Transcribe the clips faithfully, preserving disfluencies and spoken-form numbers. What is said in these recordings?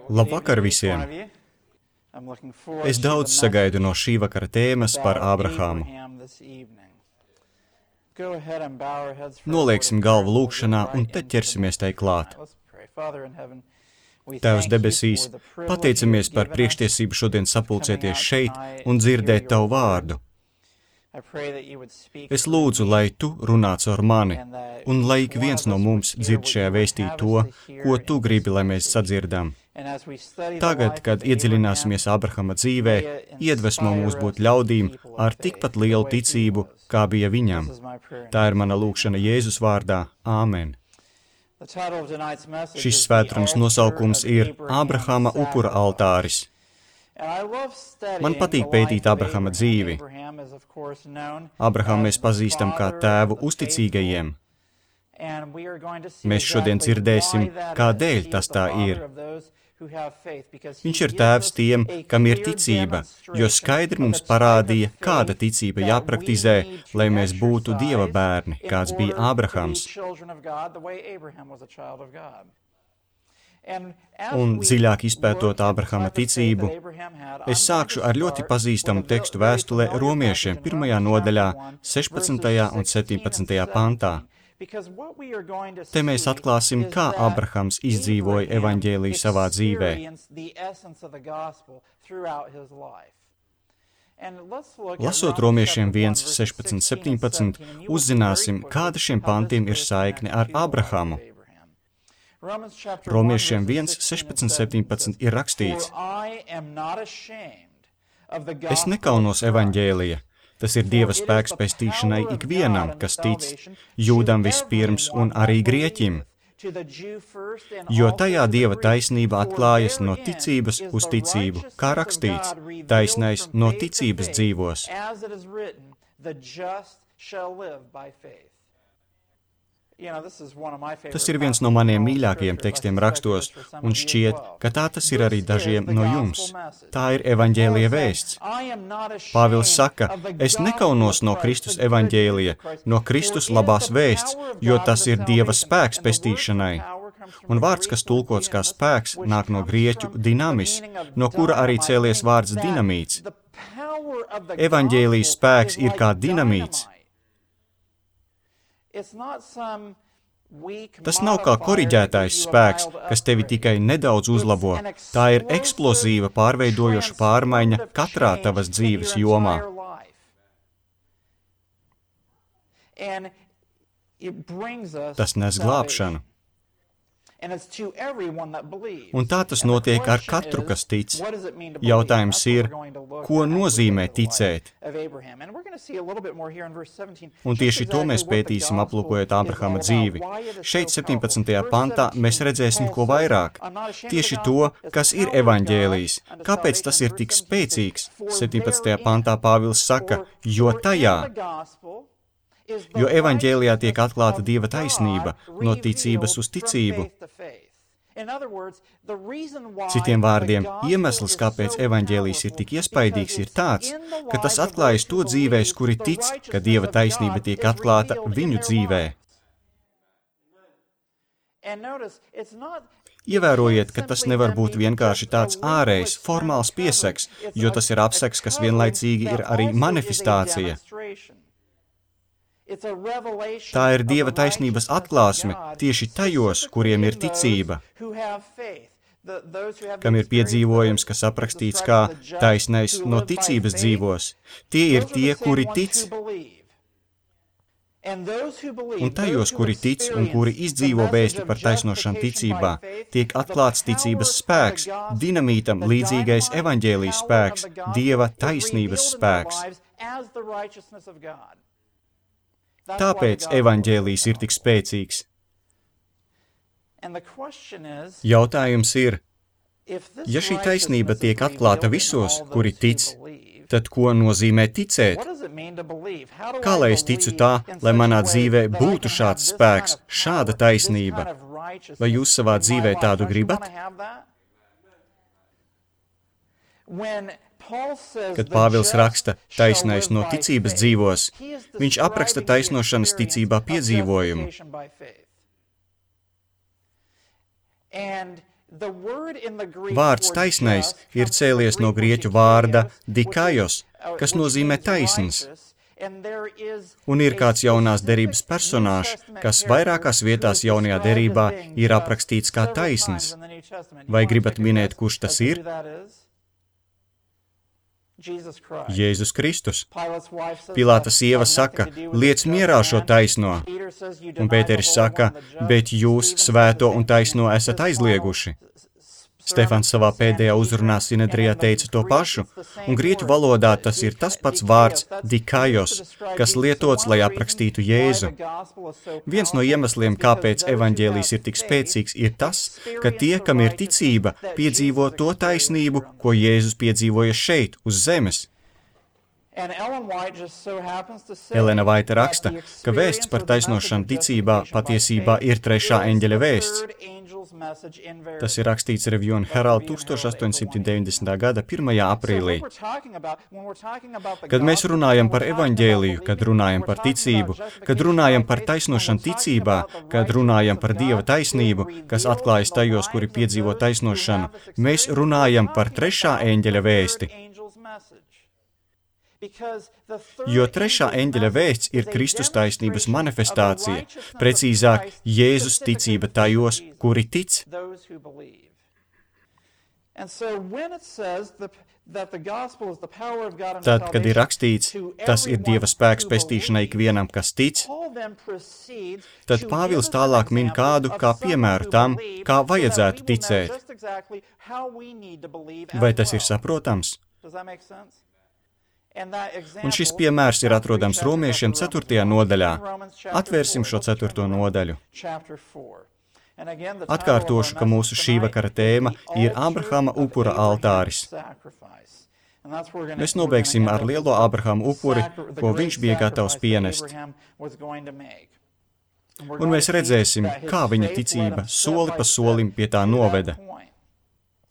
Labvakar visiem! Es daudz sagaidu no šī vakara tēmas par Ābrahāmu. Nolieksim galvu lūkšanā un tad ķersimies tai klāt. Tēvs debesīs, pateicamies par priekštiesību šodien sapulcēties šeit un dzirdēt Tavu vārdu. Es lūdzu, lai Tu runā caur mani, un lai ik viens no mums dzird šajā vēstī to, ko Tu gribi, lai mēs sadzirdam. Tagad, kad iedziļināsimies Ābrahama dzīvē, iedvesmo mūs būt ļaudīm ar tikpat lielu ticību, kā bija viņam. Tā ir mana lūkšana Jēzus vārdā. Āmen. Šis svētrunas nosaukums ir Ābrahama upura altāris. Man patīk pētīt Ābrahama dzīvi. Ābrahamu mēs pazīstam kā tēvu uzticīgajiem. Mēs šodien dzirdēsim, kādēļ tas tā ir. Viņš ir tēvs tiem, kam ir ticība, jo skaidri mums parādīja, kāda ticība jāpraktizē, lai mēs būtu Dieva bērni, kāds bija Ābrahams. Un dziļāk izpētot Ābrahama ticību, es sākšu ar ļoti pazīstamu tekstu vēstulē Romiešiem pirmajā nodaļā, sešpadsmitajā un septiņpadsmitajā pantā. Te mēs atklāsim, kā Ābrahams izdzīvoja evaņģēliju savā dzīvē. Lasot Romiešiem viens, sešpadsmit, septiņpadsmit, uzzināsim, kāda šiem pantiem ir saikne ar Ābrahamu. Romiešiem viens, sešpadsmit, septiņpadsmit ir rakstīts: Es nekaunos evaņģēlija. Tas ir Dieva spēks pestīšanai ikvienam, kas tic, Jūdam vispirms un arī Grieķim, jo tajā Dieva taisnība atklājas no ticības uz ticību, kā rakstīts, taisnais no ticības dzīvos. Tas ir viens no maniem mīļākajiem tekstiem rakstos, un šķiet, ka tā tas ir arī dažiem no jums. Tā ir evaņģēlija vēsts. Pāvils saka, es nekaunos no Kristus evaņģēlija, no Kristus labās vēsts, jo tas ir Dieva spēks pestīšanai. Un vārds, kas tulkots kā spēks, nāk no grieķu dinamis, no kura arī cēlies vārds dinamīts. Evaņģēlijas spēks ir kā dinamīts. Tas nav kā koriģētais spēks, kas tevi tikai nedaudz uzlabo. Tā ir eksplozīva, pārveidojoša pārmaiņa katrā tavas dzīves jomā. Tas nes glābšanu. Un tā tas notiek ar katru, kas tic. Jautājums ir, ko nozīmē ticēt? Un tieši to mēs pētīsim, aplūkojot Ābrahama dzīvi. Šeit, septiņpadsmitajā pantā, mēs redzēsim ko vairāk. Tieši to, kas ir evaņģēlijs. Kāpēc tas ir tik spēcīgs? septiņpadsmitajā pantā Pāvils saka, jo tajā. Jo evaņģēlijā tiek atklāta Dieva taisnība, no ticības uz ticību. Citiem vārdiem, iemesls, kāpēc evaņģēlijs ir tik iespaidīgs, ir tāds, ka tas atklājas to dzīvēs, kuri tic, ka Dieva taisnība tiek atklāta viņu dzīvē. Ievērojiet, ka tas nevar būt vienkārši tāds ārējs, formāls pieseks, jo tas ir apseks, kas vienlaicīgi ir arī manifestācija. Tā ir Dieva taisnības atklāsme tieši tajos, kuriem ir ticība, kam ir piedzīvojums, kas aprakstīts kā taisnais no ticības dzīvos. Tie ir tie, kuri tic. Un tajos, kuri tic un kuri izdzīvo vēsti par taisnošanu ticībā, tiek atklāts ticības spēks, dinamītam līdzīgais evaņģēlijas spēks, Dieva taisnības spēks. Tāpēc evaņģēlijs ir tik spēcīgs. Jautājums ir, ja šī taisnība tiek atklāta visos, kuri tic, tad ko nozīmē ticēt? Kā lai es ticu tā, lai manā dzīvē būtu šāds spēks, šāda taisnība? Vai jūs savā dzīvē tādu gribat? Kad Pāvils raksta taisnais no ticības dzīvos, viņš apraksta taisnošanas ticībā piedzīvojumu. Vārds taisnais ir cēlies no grieķu vārda dikaios, kas nozīmē taisns. Un ir kāds jaunās derības personāžs, kas vairākās vietās jaunajā derībā ir aprakstīts kā taisns. Vai gribat minēt, kurš tas ir? Jēzus Kristus. Pilāta sieva saka, liec mierā šo taisno. Un Pēteris saka, bet jūs svēto un taisno esat aizlieguši. Stefans savā pēdējā uzrunā Sinedrijā teica to pašu, un grieķu valodā tas ir tas pats vārds dikaios, kas lietots, lai aprakstītu Jēzu. Viens no iemesliem, kāpēc evaņģēlijs ir tik spēcīgs, ir tas, ka tie, kam ir ticība, piedzīvo to taisnību, ko Jēzus piedzīvoja šeit, uz zemes. Elena Vaita raksta, ka vēsts par taisnošanu ticībā patiesībā ir trešā eņģeļa vēsts. Tas ir rakstīts Review and Herald tusenstoš astoņsimt deviņdesmitā gada pirmajā aprīlī. Kad mēs runājam par evaņģēliju, kad runājam par ticību, kad runājam par taisnošanu ticībā, kad runājam par Dieva taisnību, kas atklājas tajos, kuri piedzīvo taisnošanu, mēs runājam par trešā eņģeļa vēsti. Jo trešā eņģeļa vēsts ir Kristus taisnības manifestācija, precīzāk, Jēzus ticība tajos, kuri tic. Tad, kad ir rakstīts, tas ir Dieva spēks pestīšanai ikvienam, kas tic, tad Pāvils tālāk min kādu kā piemēru tam, kā vajadzētu ticēt. Vai tas ir saprotams? Un šis piemērs ir atrodams Romiešiem ceturtajā nodaļā. Atvērsim šo ceturto nodaļu. Atkārtošu, ka mūsu šī vakara tēma ir Ābrahama upura altāris. Mēs nobeigsim ar lielo Ābrahama upuri, ko viņš bija gatavs pienest. Un mēs redzēsim, kā viņa ticība soli pa solim pie tā noveda.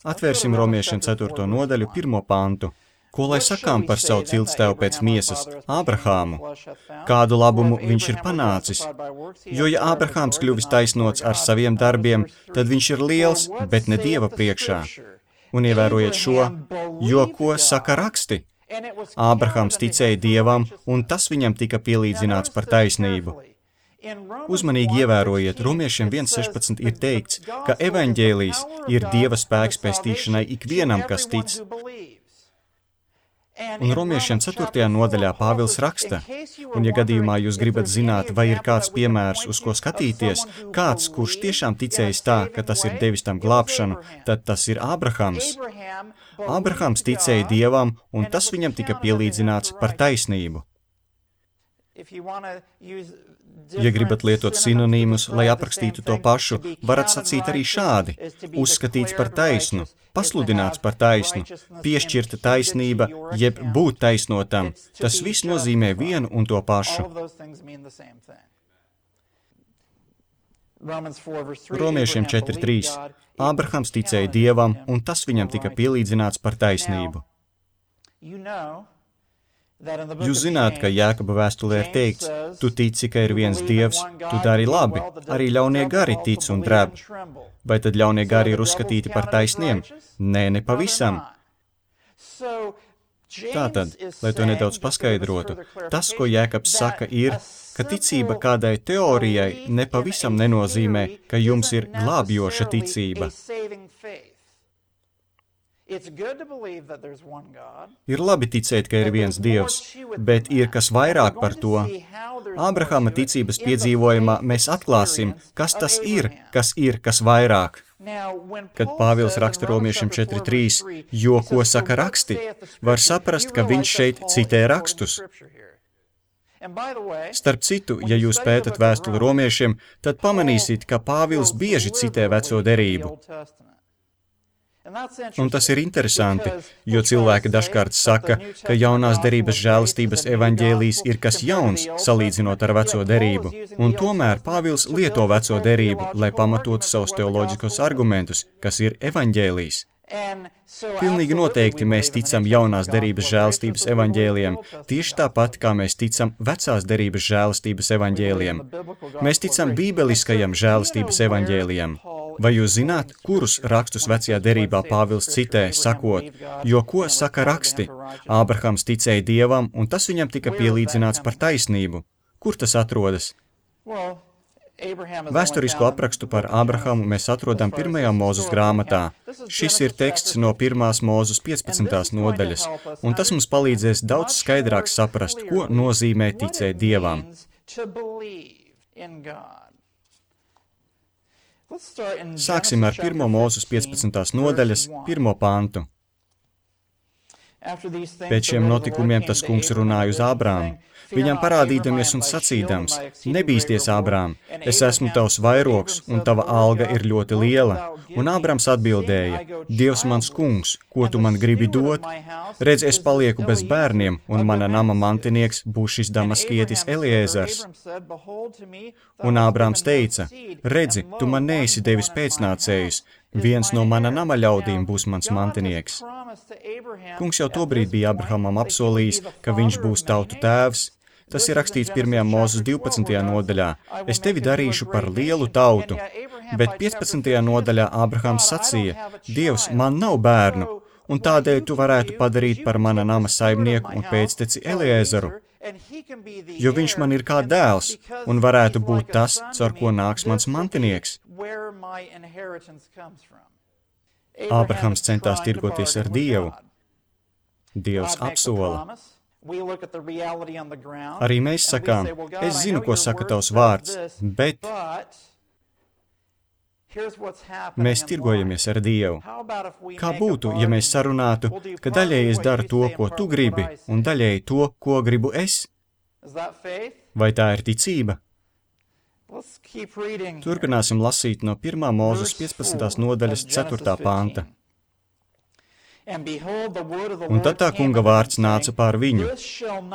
Atvērsim Romiešiem ceturto nodaļu, pirmo pantu. Ko lai sakām par savu ciltstēvu pēc miesas, Ābrahāmu? Kādu labumu viņš ir panācis? Jo, ja Ābrahāms kļuvis taisnots ar saviem darbiem, tad viņš ir liels, bet ne Dieva priekšā. Un ievērojiet šo, jo ko saka raksti? Ābrahāms ticēja Dievam, un tas viņam tika pielīdzināts par taisnību. Uzmanīgi ievērojiet, Romiešiem viens sešpadsmit ir teikts, ka evaņģēlijs ir Dieva spēks pestīšanai ikvienam, kas tic. Un Romiešiem ceturtajā nodaļā Pāvils raksta, un ja gadījumā jūs gribat zināt, vai ir kāds piemērs, uz ko skatīties, kāds, kurš tiešām ticējis tā, ka tas ir devis tam glābšanu, tad tas ir Ābrahams. Ābrahams ticēja Dievam, un tas viņam tika pielīdzināts par taisnību. Ja gribat lietot sinonīmus, lai aprakstītu to pašu, varat sacīt arī šādi: uzskatīts par taisnu, pasludināts par taisnu, piešķirta taisnība, jeb būt taisnotam. Tas viss nozīmē vienu un to pašu. Romiešiem četri trīs. Ābrahams ticēja Dievam, un tas viņam tika pielīdzināts par taisnību. Jūs zināt, ka Jēkaba vēstulē ir teikts, tu tici, ka ir viens Dievs, tu dari labi, arī ļaunie gari tic un dreb. Vai tad ļaunie gari ir uzskatīti par taisniem? Nē, ne pavisam. Tātad, lai to nedaudz paskaidrotu, tas, ko Jēkabs saka, ir, ka ticība kādai teorijai nepavisam nenozīmē, ka jums ir glābjoša ticība. Ir labi ticēt, ka ir viens Dievs, bet ir kas vairāk par to. Ābrahama ticības piedzīvojumā mēs atklāsim, kas tas ir, kas ir kas vairāk. Kad Pāvils raksta Romiešiem četri trīs, jo ko saka raksti, var saprast, ka viņš šeit citē rakstus. Starp citu, ja jūs pētat vēstuli Romiešiem, tad pamanīsiet, ka Pāvils bieži citē veco derību. Un tas ir interesanti, jo cilvēki dažkārt saka, ka jaunās derības žēlastības evaņģēlijs ir kas jauns, salīdzinot ar veco derību. Un tomēr Pāvils lieto veco derību, lai pamatotu savus teoloģiskos argumentus, kas ir evaņģēlijs. Pilnīgi noteikti mēs ticam jaunās derības žēlastības evaņģēlijiem, tieši tāpat, kā mēs ticam vecās derības žēlastības evaņģēlijiem. Mēs ticam bībeliskajam žēlastības evaņģēlijam. Vai jūs zināt, kurus rakstus vecajā derībā Pāvils citē, sakot, jo ko saka raksti? Ābrahams ticēja Dievam, un tas viņam tika pielīdzināts par taisnību. Kur tas atrodas? Vēsturisku aprakstu par Ābrahamu mēs atrodam pirmajā Mūzes grāmatā. Šis ir teksts no pirmās Mūzes piecpadsmitās nodaļas, un tas mums palīdzēs daudz skaidrāk saprast, ko nozīmē ticēt Dievam. Sāksim ar pirmo Mūzes piecpadsmitās nodaļas, pirmo pantu. Pēc šiem notikumiem tas kungs runāja uz Ābrāmu, viņam parādīdamies un sacīdams, nebīsties, Ābrām, es esmu tavs vairogs, un tava alga ir ļoti liela. Un Ābrams atbildēja, Dievs mans kungs, ko tu man gribi dot? Redz, es palieku bez bērniem, un mana nama mantinieks būs šis damaskietis Eliezers. Un Ābrams teica, redzi, tu man neesi devis pēcnācējus, viens no mana nama ļaudīm būs mans mantinieks. Kungs jau tobrīd bija Abrahamam apsolījis, ka viņš būs tautu tēvs. Tas ir rakstīts pirmajā Mūzes divpadsmitajā nodaļā. Es tevi darīšu par lielu tautu. Bet piecpadsmitajā nodaļā Ābrahams sacīja, Dievs, man nav bērnu, un tādēļ tu varētu padarīt par mana nama saimnieku un pēcteci Eliezeru, jo viņš man ir kā dēls, un varētu būt tas, caur ko nāks mans mantinieks. Ābrahams centās tirgoties ar Dievu. Dievs apsola. Arī mēs sakām, es zinu, ko saka tavs vārds, bet mēs tirgojamies ar Dievu. Kā būtu, ja mēs sarunātu, ka daļēji es daru to, ko tu gribi, un daļēji to, ko gribu es? Vai tā ir ticība? Turpināsim lasīt no pirmā Mūzes piecpadsmitās nodaļas ceturtā panta. Un tad tā kunga vārds nāca pār viņu.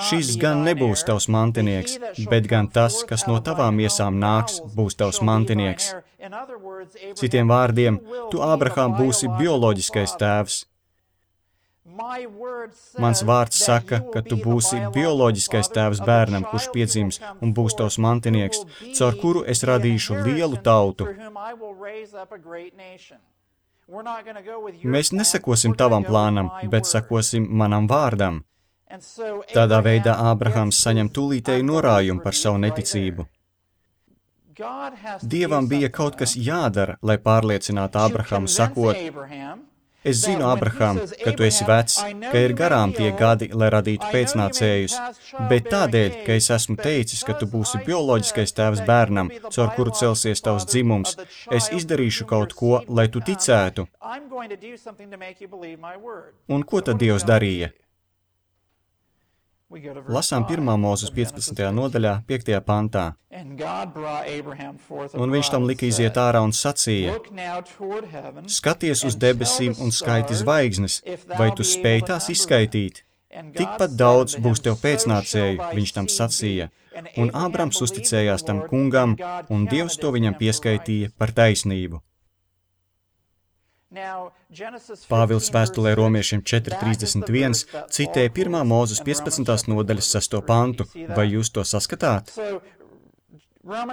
Šis gan nebūs tavs mantinieks, bet gan tas, kas no tavām iesām nāks, būs tavs mantinieks. Citiem vārdiem, tu, Ābrahām, būsi bioloģiskais tēvs. Mans vārds saka, ka tu būsi bioloģiskais tēvs bērnam, kurš piedzims un būs tavs mantinieks, caur kuru es radīšu lielu tautu. Mēs nesekosim tavam plānam, bet sekosim manam vārdam. Tādā veidā Ābrahams saņem tūlītēju norājumu par savu neticību. Dievam bija kaut kas jādara, lai pārliecinātu Ābrahamu, sakot, es zinu, Ābraham, ka tu esi vecs, ka ir garām tie gadi, lai radītu pēcnācējus, bet tādēļ, ka es esmu teicis, ka tu būsi bioloģiskais tēvs bērnam, caur kuru celsies tavs dzimums, es izdarīšu kaut ko, lai tu ticētu. Un ko tad Dievs darīja? Lasām pirmā Mūzes piecpadsmitajā nodaļā, piektajā pantā. Un viņš tam lika iziet ārā un sacīja, skaties uz debesīm un skaiti zvaigznes, vai tu spēj tās izskaitīt? Tikpat daudz būs tev pēcnācēju, viņš tam sacīja. Un Ābrams uzticējās tam kungam, un Dievs to viņam pieskaitīja par taisnību. Pāvils vēstulē Romiešiem četri trīsdesmit viens citē pirmā Mūzes piecpadsmitās nodaļas sesto pantu. Vai jūs to saskatāt?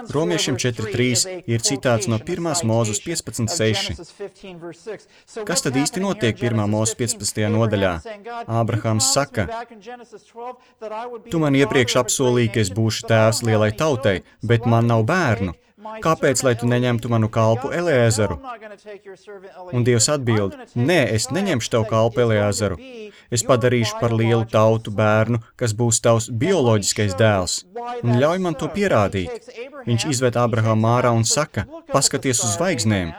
Romiešiem četri trīs ir citāts no pirmās Mūzes piecpadsmit seši. Kas tad īsti notiek pirmā Mūzes piecpadsmitajā nodaļā? Ābrahams saka, tu man iepriekš apsolīji, ka es būšu tēvs lielai tautai, bet man nav bērnu. Kāpēc, lai tu neņemtu manu kalpu Eliezeru? Un Dievs atbild, nē, es neņemšu tavu kalpu Eliezeru. Es padarīšu par lielu tautu bērnu, kas būs tavs bioloģiskais dēls. Un ļauj man to pierādīt. Viņš izved Ābrahamu ārā un saka, paskaties uz zvaigznēm.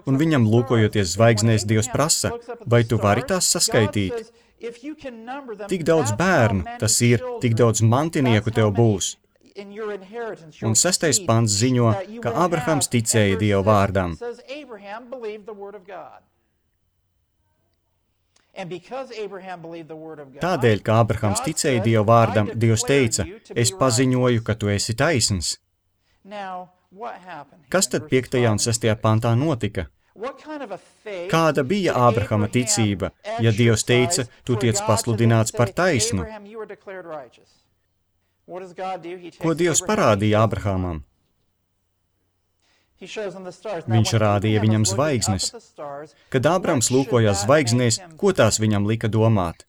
Un viņam lūkojoties zvaigznēs, Dievs prasa, vai tu vari tās saskaitīt? Tik daudz bērnu, tas ir, tik daudz mantinieku tev būs. Un sestais pants ziņo, ka Ābrahams ticēja Dieva vārdam. Tādēļ, ka Ābrahams ticēja Dieva vārdam, Dievs teica, es paziņoju, ka tu esi taisns. Kas tad piektajā un sestajā pantā notika? Kāda bija Ābrahama ticība, ja Dievs teica, tu tiec pasludināts par taisnu? Ko Dievs parādīja Ābrahamam? Viņš rādīja viņam zvaigznes. Kad Ābrams lūkojās zvaigznēs, ko tās viņam lika domāt?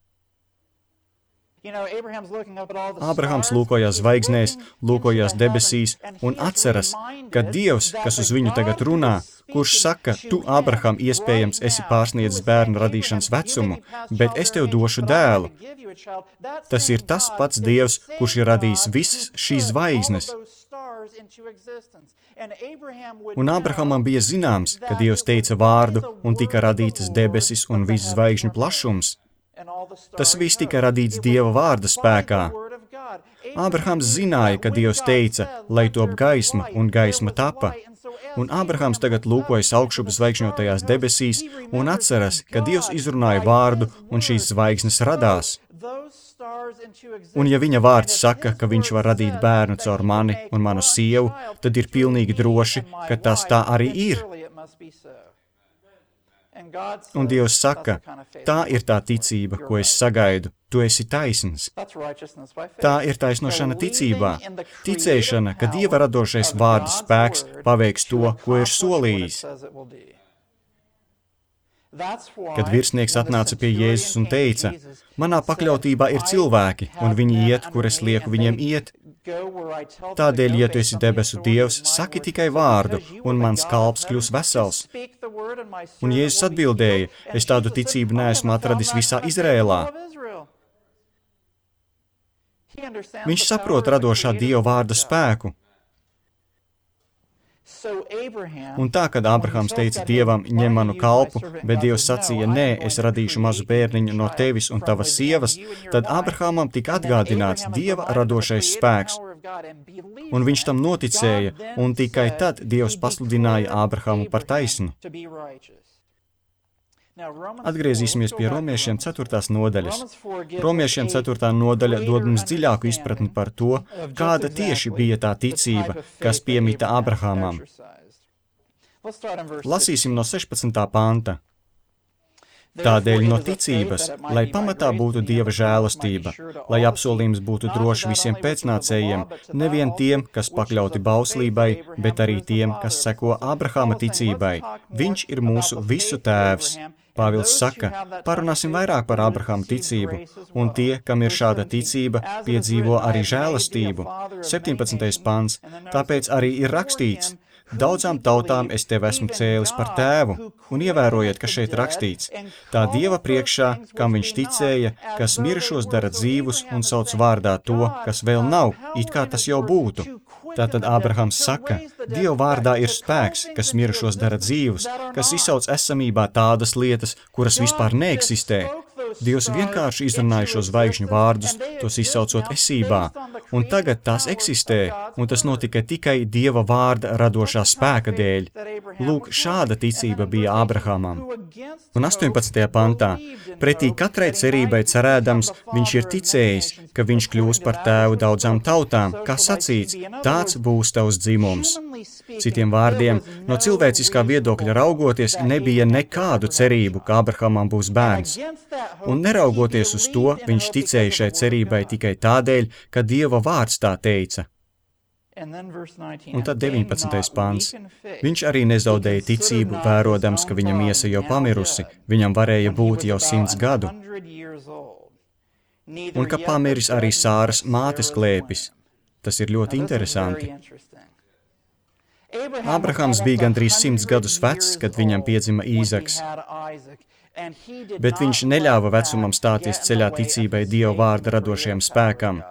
Ābrahams lūkojās zvaigznēs, lūkojās debesīs un atceras, ka Dievs, kas uz viņu tagad runā, kurš saka, tu, Ābraham, iespējams esi pārsniedzis bērnu radīšanas vecumu, bet es tev došu dēlu. Tas ir tas pats Dievs, kurš ir radījis visas šīs zvaigznes. Un Ābrahamam bija zināms, ka Dievs teica vārdu un tika radītas debesis un viss zvaigžņu plašums. Tas viss tika radīts Dieva vārda spēkā. Ābrahams zināja, ka Dievs teica, lai top gaisma, un gaisma tapa. Un Ābrahams tagad lūkojas augšup zvaigžņotajās debesīs un atceras, ka Dievs izrunāja vārdu, un šīs zvaigznes radās. Un ja viņa vārds saka, ka viņš var radīt bērnu caur mani un manu sievu, tad ir pilnīgi droši, ka tas tā arī ir. Un Dievs saka, tā ir tā ticība, ko es sagaidu, tu esi taisns. Tā ir taisnošana ticībā, ticēšana, ka Dieva radošais vārda spēks paveiks to, ko ir solījis. Kad virsnieks atnāca pie Jēzus un teica, manā pakļautībā ir cilvēki, un viņi iet, kur es lieku viņiem iet. Tādēļ, ja tu esi debesu Dievs, saki tikai vārdu, un mans kalps kļūs vesels. Un Jēzus atbildēja, es tādu ticību neesmu atradis visā Izrēlā. Viņš saprot radošā Dieva vārda spēku. Un tā, kad Ābrahams teica Dievam, ņem manu kalpu, bet Dievs sacīja, nē, es radīšu mazu bērniņu no tevis un tavas sievas, tad Ābrahamam tika atgādināts Dieva radošais spēks. Un viņš tam noticēja, un tikai tad Dievs pasludināja Ābrahamu par taisnu. Atgriezīsimies pie Romiešiem ceturtās nodaļas. Romiešiem ceturtā nodaļa dod mums dziļāku izpratni par to, kāda tieši bija tā ticība, kas piemita Ābrahamam. Lasīsim no sešpadsmitā panta. Tādēļ no ticības, lai pamatā būtu Dieva žēlastība, lai apsolījums būtu droši visiem pēcnācējiem, nevien tiem, kas pakļauti bauslībai, bet arī tiem, kas seko Ābrahama ticībai. Viņš ir mūsu visu tēvs. Pāvils saka, parunāsim vairāk par Ābrahama ticību, un tie, kam ir šāda ticība, piedzīvo arī žēlastību. septiņpadsmitais pants, tāpēc arī ir rakstīts, daudzām tautām es tevi esmu cēlis par tēvu, un ievērojiet, ka šeit rakstīts, tā Dieva priekšā, kam viņš ticēja, kas mirušos dara dzīvus un sauc vārdā to, kas vēl nav, it kā tas jau būtu. Tātad Ābrahams saka, Dieva vārdā ir spēks, kas mirušos dara dzīvus, kas izsauc esamībā tādas lietas, kuras vispār neeksistē. Dievs vienkārši izrunāja šo zvaigžņu vārdus, tos izsaucot esībā, un tagad tās eksistē, un tas notika tikai Dieva vārda radošā spēka dēļ. Lūk, šāda ticība bija Ābrahamam. Un astoņpadsmitajā pantā, pretī katrai cerībai cerēdams, viņš ir ticējis, ka viņš kļūs par tēvu daudzām tautām, kā sacīts, tāds būs tavs dzimums. Citiem vārdiem, no cilvēciskā viedokļa raugoties, nebija nekādu cerību, ka Ābrahamam būs bērns. Un neraugoties uz to, viņš ticēja šai cerībai tikai tādēļ, ka Dieva vārds tā teica. Un tad deviņpadsmitais pants. Viņš arī nezaudēja ticību, vērodams, ka viņa miesa jau pamirusi, viņam varēja būt jau simts gadu. Un ka pamiris arī Sāras mātes klēpis. Tas ir ļoti interesanti. Ābrahams bija gandrīz simts gadus vecs, kad viņam piedzima Īzaks. Bet viņš neļāva vecumam stāties ceļā ticībai Dieva vārda radošajam spēkam.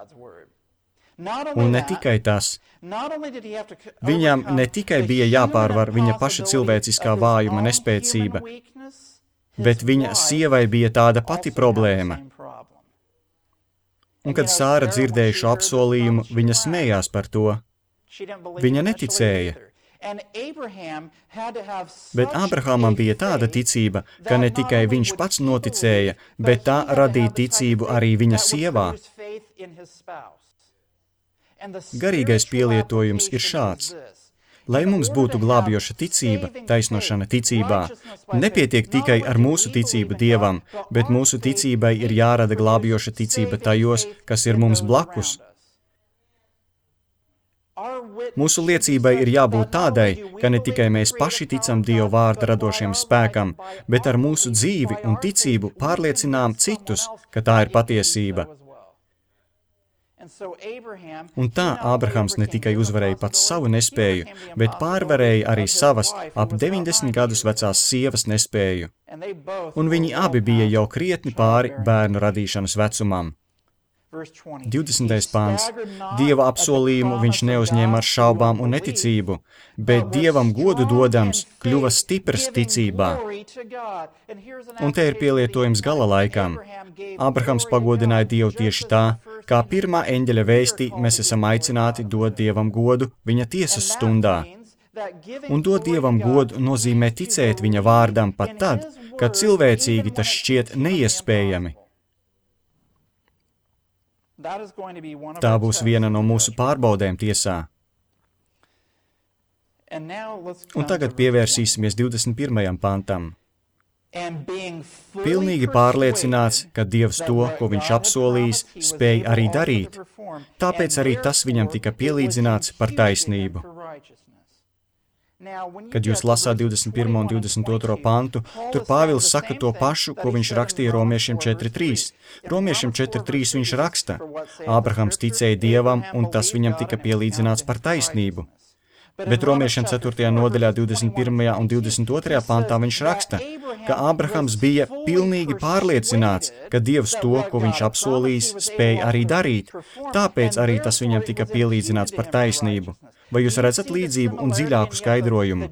Un ne tikai tas. Viņam ne tikai bija jāpārvar viņa paša cilvēciskā vājuma nespēcība, bet viņa sievai bija tāda pati problēma. Un kad Sāra dzirdēja šo apsolījumu, viņa smējās par to. Viņa neticēja. Bet Ābrahamam bija tāda ticība, ka ne tikai viņš pats noticēja, bet tā radīja ticību arī viņa sievā. Garīgais pielietojums ir šāds. Lai mums būtu glābjoša ticība, taisnošana ticībā, nepietiek tikai ar mūsu ticību Dievam, bet mūsu ticībai ir jārada glābjoša ticība tajos, kas ir mums blakus. Mūsu liecībai ir jābūt tādai, ka ne tikai mēs paši ticam Dieva vārda radošiem spēkam, bet ar mūsu dzīvi un ticību pārliecinām citus, ka tā ir patiesība. Un tā Ābrahams ne tikai uzvarēja pats savu nespēju, bet pārvarēja arī savas ap deviņdesmit gadus vecās sievas nespēju. Un viņi abi bija jau krietni pāri bērnu radīšanas vecumam. divdesmitais pāns. Dieva apsolījumu viņš neuzņēma ar šaubām un neticību, bet Dievam godu dodams kļuva stiprs ticībā. Un te ir pielietojums gala laikam. Ābrahams pagodināja Dievu tieši tā, kā pirmā eņģeļa vēstī mēs esam aicināti dot Dievam godu viņa tiesas stundā. Un dot Dievam godu nozīmē ticēt viņa vārdam pat tad, kad cilvēcīgi tas šķiet neiespējami. Tā būs viena no mūsu pārbaudēm tiesā. Un tagad pievērsīsimies divdesmit pirmajam pantam. Pilnīgi pārliecināts, ka Dievs to, ko viņš apsolījis, spēj arī darīt, tāpēc arī tas viņam tika pielīdzināts par taisnību. Kad jūs lasāt divdesmit pirmo un divdesmit otro pantu, tur Pāvils saka to pašu, ko viņš rakstīja Romiešiem četri trīs. Romiešiem četri trīs viņš raksta: Ābrahams ticēja Dievam, un tas viņam tika pielīdzināts par taisnību. Bet Romiešiem ceturtajā nodaļā divdesmit pirmajā un divdesmit otrajā pantā viņš raksta, ka Ābrahams bija pilnīgi pārliecināts, ka Dievs to, ko viņš apsolījis, spēja arī darīt, tāpēc arī tas viņam tika pielīdzināts par taisnību. Vai jūs redzat līdzību un dziļāku skaidrojumu?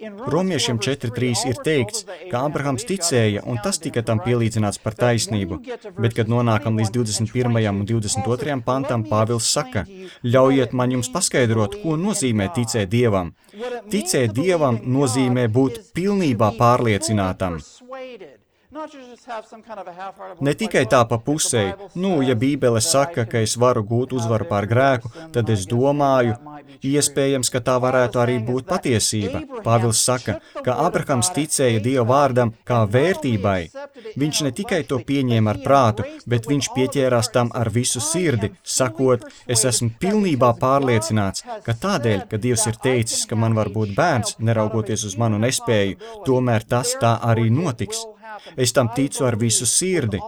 Romiešiem četri trīs ir teikts, ka Ābrahams ticēja, un tas tika tam pielīdzināts par taisnību, bet, kad nonākam līdz divdesmit pirmajam un divdesmit otrajam pantam, Pāvils saka: ļaujiet man jums paskaidrot, ko nozīmē ticēt Dievam. Ticēt Dievam nozīmē būt pilnībā pārliecinātam. Ne tikai tā pa pusei, nu, ja Bībele saka, ka es varu gūt uzvaru pār grēku, tad es domāju, iespējams, ka tā varētu arī būt patiesība. Pāvils saka, ka Ābrahams ticēja Dieva vārdam kā vērtībai. Viņš ne tikai to pieņēma ar prātu, bet viņš pieķērās tam ar visu sirdi, sakot: es esmu pilnībā pārliecināts, ka tādēļ, ka Dievs ir teicis, ka man var būt bērns, neraugoties uz manu nespēju, tomēr tas tā arī notiks. Es tam ticu ar visu sirdi.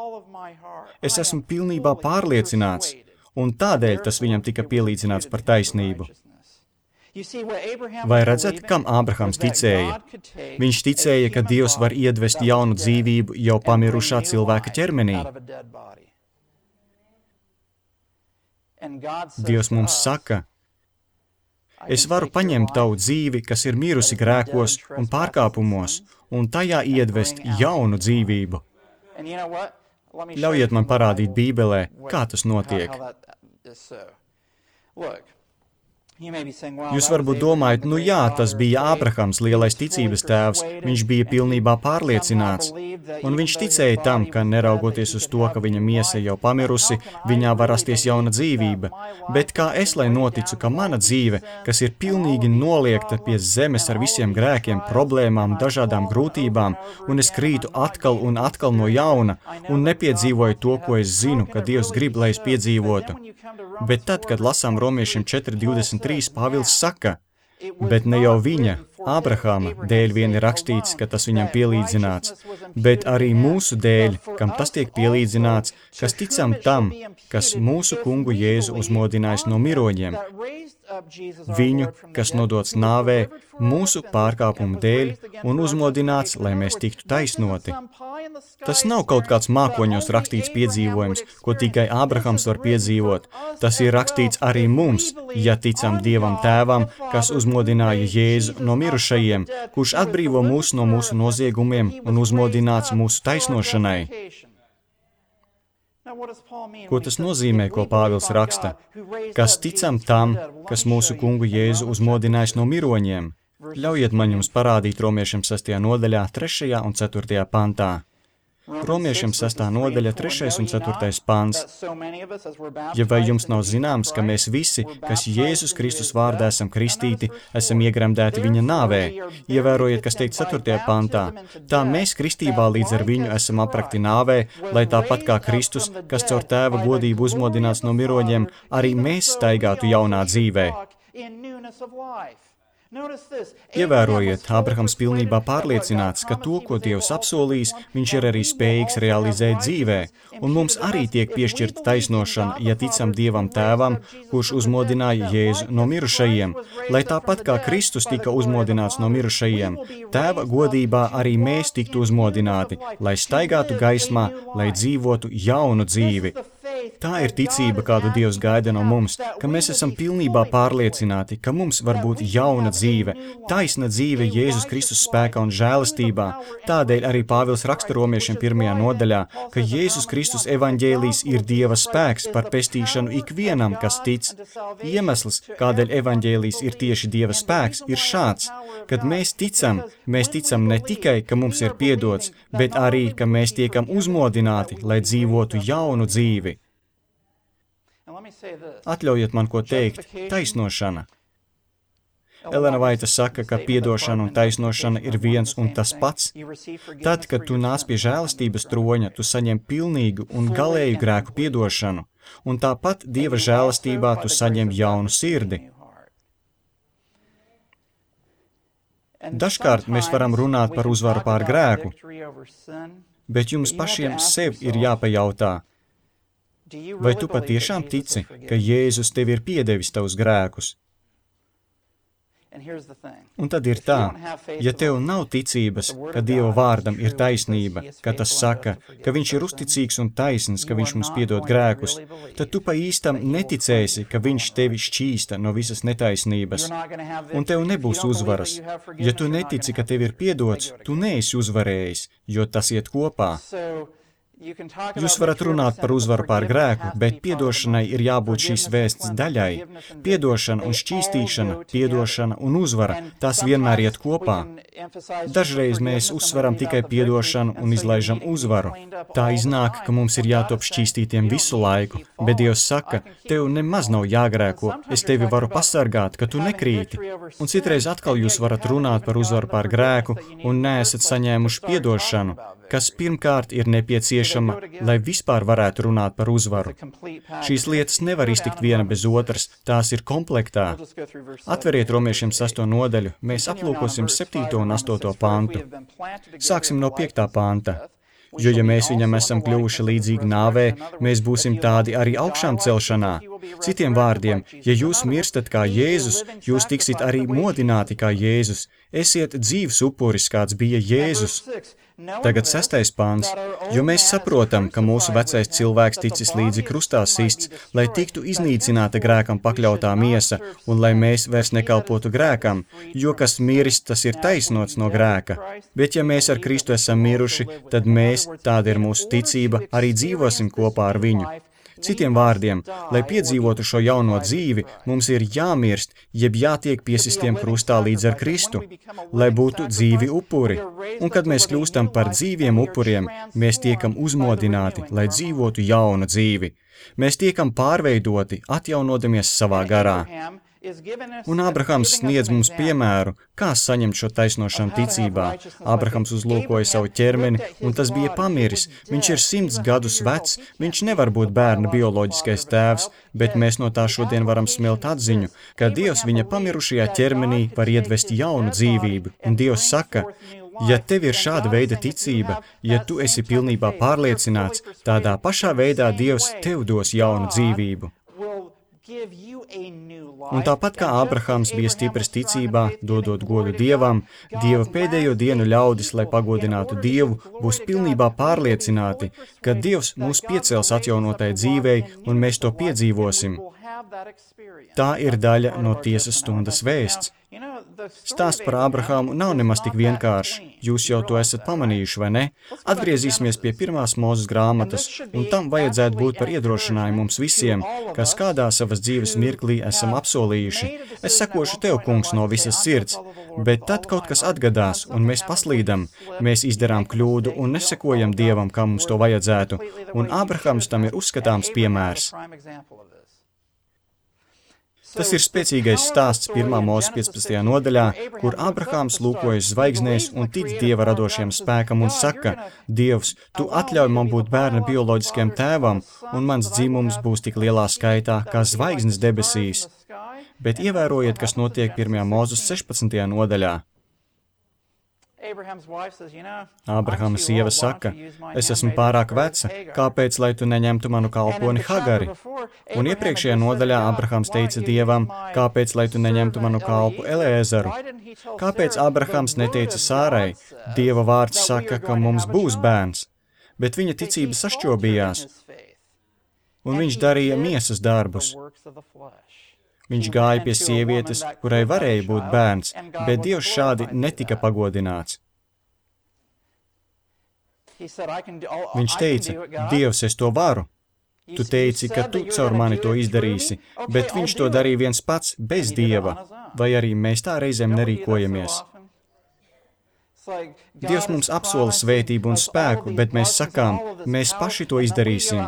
Es esmu pilnībā pārliecināts, un tādēļ tas viņam tika pielīdzināts par taisnību. Vai redzat, kam Ābrahams ticēja? Viņš ticēja, ka Dievs var iedvest jaunu dzīvību jau pamirušā cilvēka ķermenī. Dievs mums saka: es varu paņemt tavu dzīvi, kas ir mirusi grēkos un pārkāpumos, un tajā iedvest jaunu dzīvību. Ļaujiet man parādīt Bībelē, kā tas notiek. Jūs varbūt domājat, nu jā, tas bija Ābrahams, lielais ticības tēvs, viņš bija pilnībā pārliecināts, un viņš ticēja tam, ka neraugoties uz to, ka viņa miesa jau pamirusi, viņā var rasties jauna dzīvība. Bet kā es lai noticu, ka mana dzīve, kas ir pilnīgi noliekta pie zemes ar visiem grēkiem, problēmām, dažādām grūtībām, un es krītu atkal un atkal no jauna, un nepiedzīvoju to, ko es zinu, ka Dievs grib, lai es piedzīvotu. Bet tad, kad lasām Romiešiem četri divdesmit trīs, Pāvils saka: bet ne jau viņa, Ābrahama, dēļ vien ir rakstīts, ka tas viņam pielīdzināts, bet arī mūsu dēļ, kam tas tiek pielīdzināts, kas ticam tam, kas mūsu kungu Jēzu uzmodinājis no miroņiem. Viņu, kas nodots nāvē, mūsu pārkāpumu dēļ un uzmodināts, lai mēs tiktu taisnoti. Tas nav kaut kāds mākoņos rakstīts piedzīvojums, ko tikai Ābrahams var piedzīvot. Tas ir rakstīts arī mums, ja ticam Dievam Tēvam, kas uzmodināja Jēzu no mirušajiem, kurš atbrīvo mūs no mūsu noziegumiem un uzmodināts mūsu taisnošanai. Ko tas nozīmē, ko Pāvils raksta? Kas ticam tam, kas mūsu kungu Jēzu uzmodinājis no miroņiem? Ļaujiet man jums parādīt Romiešiem sestajā nodaļā, trešajā un ceturtajā pantā. Romiešiem sestā nodaļa, trešais un ceturtais pants. Ja vai jums nav zināms, ka mēs visi, kas Jēzus Kristus vārdā esam kristīti, esam iegremdēti viņa nāvē? Ievērojiet, kas teikt ceturtajā pantā. Tā mēs kristībā līdz ar viņu esam aprakti nāvē, lai tāpat kā Kristus, kas caur tēva godību uzmodināts no miroņiem, arī mēs staigātu jaunā dzīvē. Ievērojiet, Ābrahams pilnībā pārliecināts, ka to, ko Dievs apsolījis, viņš ir arī spējīgs realizēt dzīvē, un mums arī tiek piešķirta taisnošana, ja ticam Dievam Tēvam, kurš uzmodināja Jēzu no mirušajiem, lai tāpat kā Kristus tika uzmodināts no mirušajiem, Tēva godībā arī mēs tiktu uzmodināti, lai staigātu gaismā, lai dzīvotu jaunu dzīvi. Tā ir ticība, kādu Dievs gaida no mums, ka mēs esam pilnībā pārliecināti, ka mums var būt jauna dzīve, taisna dzīve Jēzus Kristus spēkā un žēlastībā. Tādēļ arī Pāvils raksta Romiešiem pirmajā nodaļā, ka Jēzus Kristus evaņģēlijs ir Dieva spēks par pestīšanu ikvienam, kas tic. Iemesls, kādēļ evaņģēlijs ir tieši Dieva spēks, ir šāds. Kad mēs ticam, mēs ticam ne tikai, ka mums ir piedots, bet arī, ka mēs tiekam uzmodināti, lai dzīvotu jaunu dzīvi. Atļaujiet man ko teikt, taisnošana. Elena Vaita saka, ka piedošana un taisnošana ir viens un tas pats. Tad, kad tu nāc pie žēlastības troņa, tu saņem pilnīgu un galēju grēku piedošanu, un tāpat Dieva žēlastībā tu saņem jaunu sirdi. Dažkārt mēs varam runāt par uzvaru pār grēku, bet jums pašiem sev ir jāpajautā, vai tu patiešām tici, ka Jēzus tev ir piedevis tavus grēkus? Un tad ir tā, ja tev nav ticības, ka Dieva vārdam ir taisnība, ka tas saka, ka viņš ir uzticīgs un taisns, ka viņš mums piedod grēkus, tad tu pa īstam neticēsi, ka viņš tevi šķīsta no visas netaisnības, un tev nebūs uzvaras. Ja tu netici, ka tev ir piedots, tu neesi uzvarējis, jo tas iet kopā. Jūs varat runāt par uzvaru pār grēku, bet piedošanai ir jābūt šīs vēsts daļai. Piedošana un šķīstīšana, piedošana un uzvara, tās vienmēr iet kopā. Dažreiz mēs uzsveram tikai piedošanu un izlaižam uzvaru. Tā iznāk, ka mums ir jātop šķīstītiem visu laiku, bet Dievs saka, tev nemaz nav jāgrēko, es tevi varu pasargāt, ka tu nekrīti. Un citreiz atkal jūs varat runāt par uzvaru pār grēku un neesat saņēmuši piedošanu, kas pirmkārt ir nepieciešama, lai vispār varētu runāt par uzvaru. Šīs lietas nevar iztikt viena bez otras, tās ir komplektā. Atveriet Romiešiem sesto nodaļu, mēs aplūkosim septīto un astoto pantu. Sāksim no piektā panta. Jo, ja mēs viņam esam kļuvuši līdzīgi nāvē, mēs būsim tādi arī augšām celšanā. Citiem vārdiem, ja jūs mirstat kā Jēzus, jūs tiksit arī modināti kā Jēzus. Esiet dzīvs upuris, kāds bija Jēzus. Tagad sestais pāns, jo mēs saprotam, ka mūsu vecais cilvēks ticis līdzi krustā sists, lai tiktu iznīcināta grēkam pakļautā miesa, un lai mēs vairs nekalpotu grēkam, jo kas miris, tas ir taisnots no grēka. Bet ja mēs ar Kristu esam miruši, tad mēs, tāda ir mūsu ticība, arī dzīvosim kopā ar viņu. Citiem vārdiem, lai piedzīvotu šo jauno dzīvi, mums ir jāmirst, jeb jātiek piesistiem krustā līdz ar Kristu, lai būtu dzīvi upuri. Un kad mēs kļūstam par dzīviem upuriem, mēs tiekam uzmodināti, lai dzīvotu jaunu dzīvi. Mēs tiekam pārveidoti, atjaunodamies savā garā. Un Ābrahams sniedz mums piemēru, kā saņemt šo taisnošanu ticībā. Ābrahams uzlūkoja savu ķermeni, un tas bija pamiris. Viņš ir simts gadus vecs, viņš nevar būt bērna bioloģiskais tēvs, bet mēs no tā šodien varam smelt atziņu, ka Dievs viņa pamirušajā ķermenī var iedvest jaunu dzīvību. Un Dievs saka, ja tev ir šāda veida ticība, ja tu esi pilnībā pārliecināts, tādā pašā veidā Dievs tev dos jaunu dzīvību. Un tāpat kā Ābrahams bija stiprs ticībā, dodot godu Dievam, Dieva pēdējo dienu ļaudis, lai pagodinātu Dievu, būs pilnībā pārliecināti, ka Dievs mūs piecels atjaunotai dzīvei, un mēs to piedzīvosim. Tā ir daļa no tiesas stundas vēsts. Stāsts par Ābrahāmu nav nemaz tik vienkāršs. Jūs jau to esat pamanījuši, vai ne? Atgriezīsimies pie pirmās Mūzes grāmatas, un tam vajadzētu būt par iedrošinājumu mums visiem, kas kādā savas dzīves mirklī esam apsolījuši. Es sekošu tev, kungs, no visas sirds, bet tad kaut kas atgadās, un mēs paslīdam, mēs izdarām kļūdu un nesekojam Dievam, kā mums to vajadzētu, un Ābrahams tam ir uzskatāms piemērs. Tas ir spēcīgais stāsts pirmā Mūzes piecpadsmitajā nodaļā, kur Ābrahāms lūkojas zvaigznēs un tic Dieva radošiem spēkam un saka, Dievs, tu atļauj man būt bērna bioloģiskiem tēvam, un mans dzimums būs tik lielā skaitā, kā zvaigznes debesīs. Bet ievērojiet, kas notiek pirmajā Mūzes sešpadsmitajā nodaļā. Ābrahama sieva saka, es esmu pārāk veca, kāpēc, lai tu neņemtu manu kalponi Hagari? Un iepriekšējā nodaļā Ābrahams teica Dievam, kāpēc, lai tu neņemtu manu kalpu Eliezeru? Kāpēc Ābrahams neteica Sārai, Dieva vārds saka, ka mums būs bērns, bet viņa ticība sašķobījās, un viņš darīja miesas darbus. Viņš gāja pie sievietes, kurai varēja būt bērns, bet Dievs šādi netika pagodināts. Viņš teica, Dievs, es to varu. Tu teici, ka tu caur mani to izdarīsi, bet viņš to darīja viens pats bez Dieva, vai arī mēs tā reizēm nerīkojamies. Dievs mums apsola svētību un spēku, bet mēs sakām, mēs paši to izdarīsim.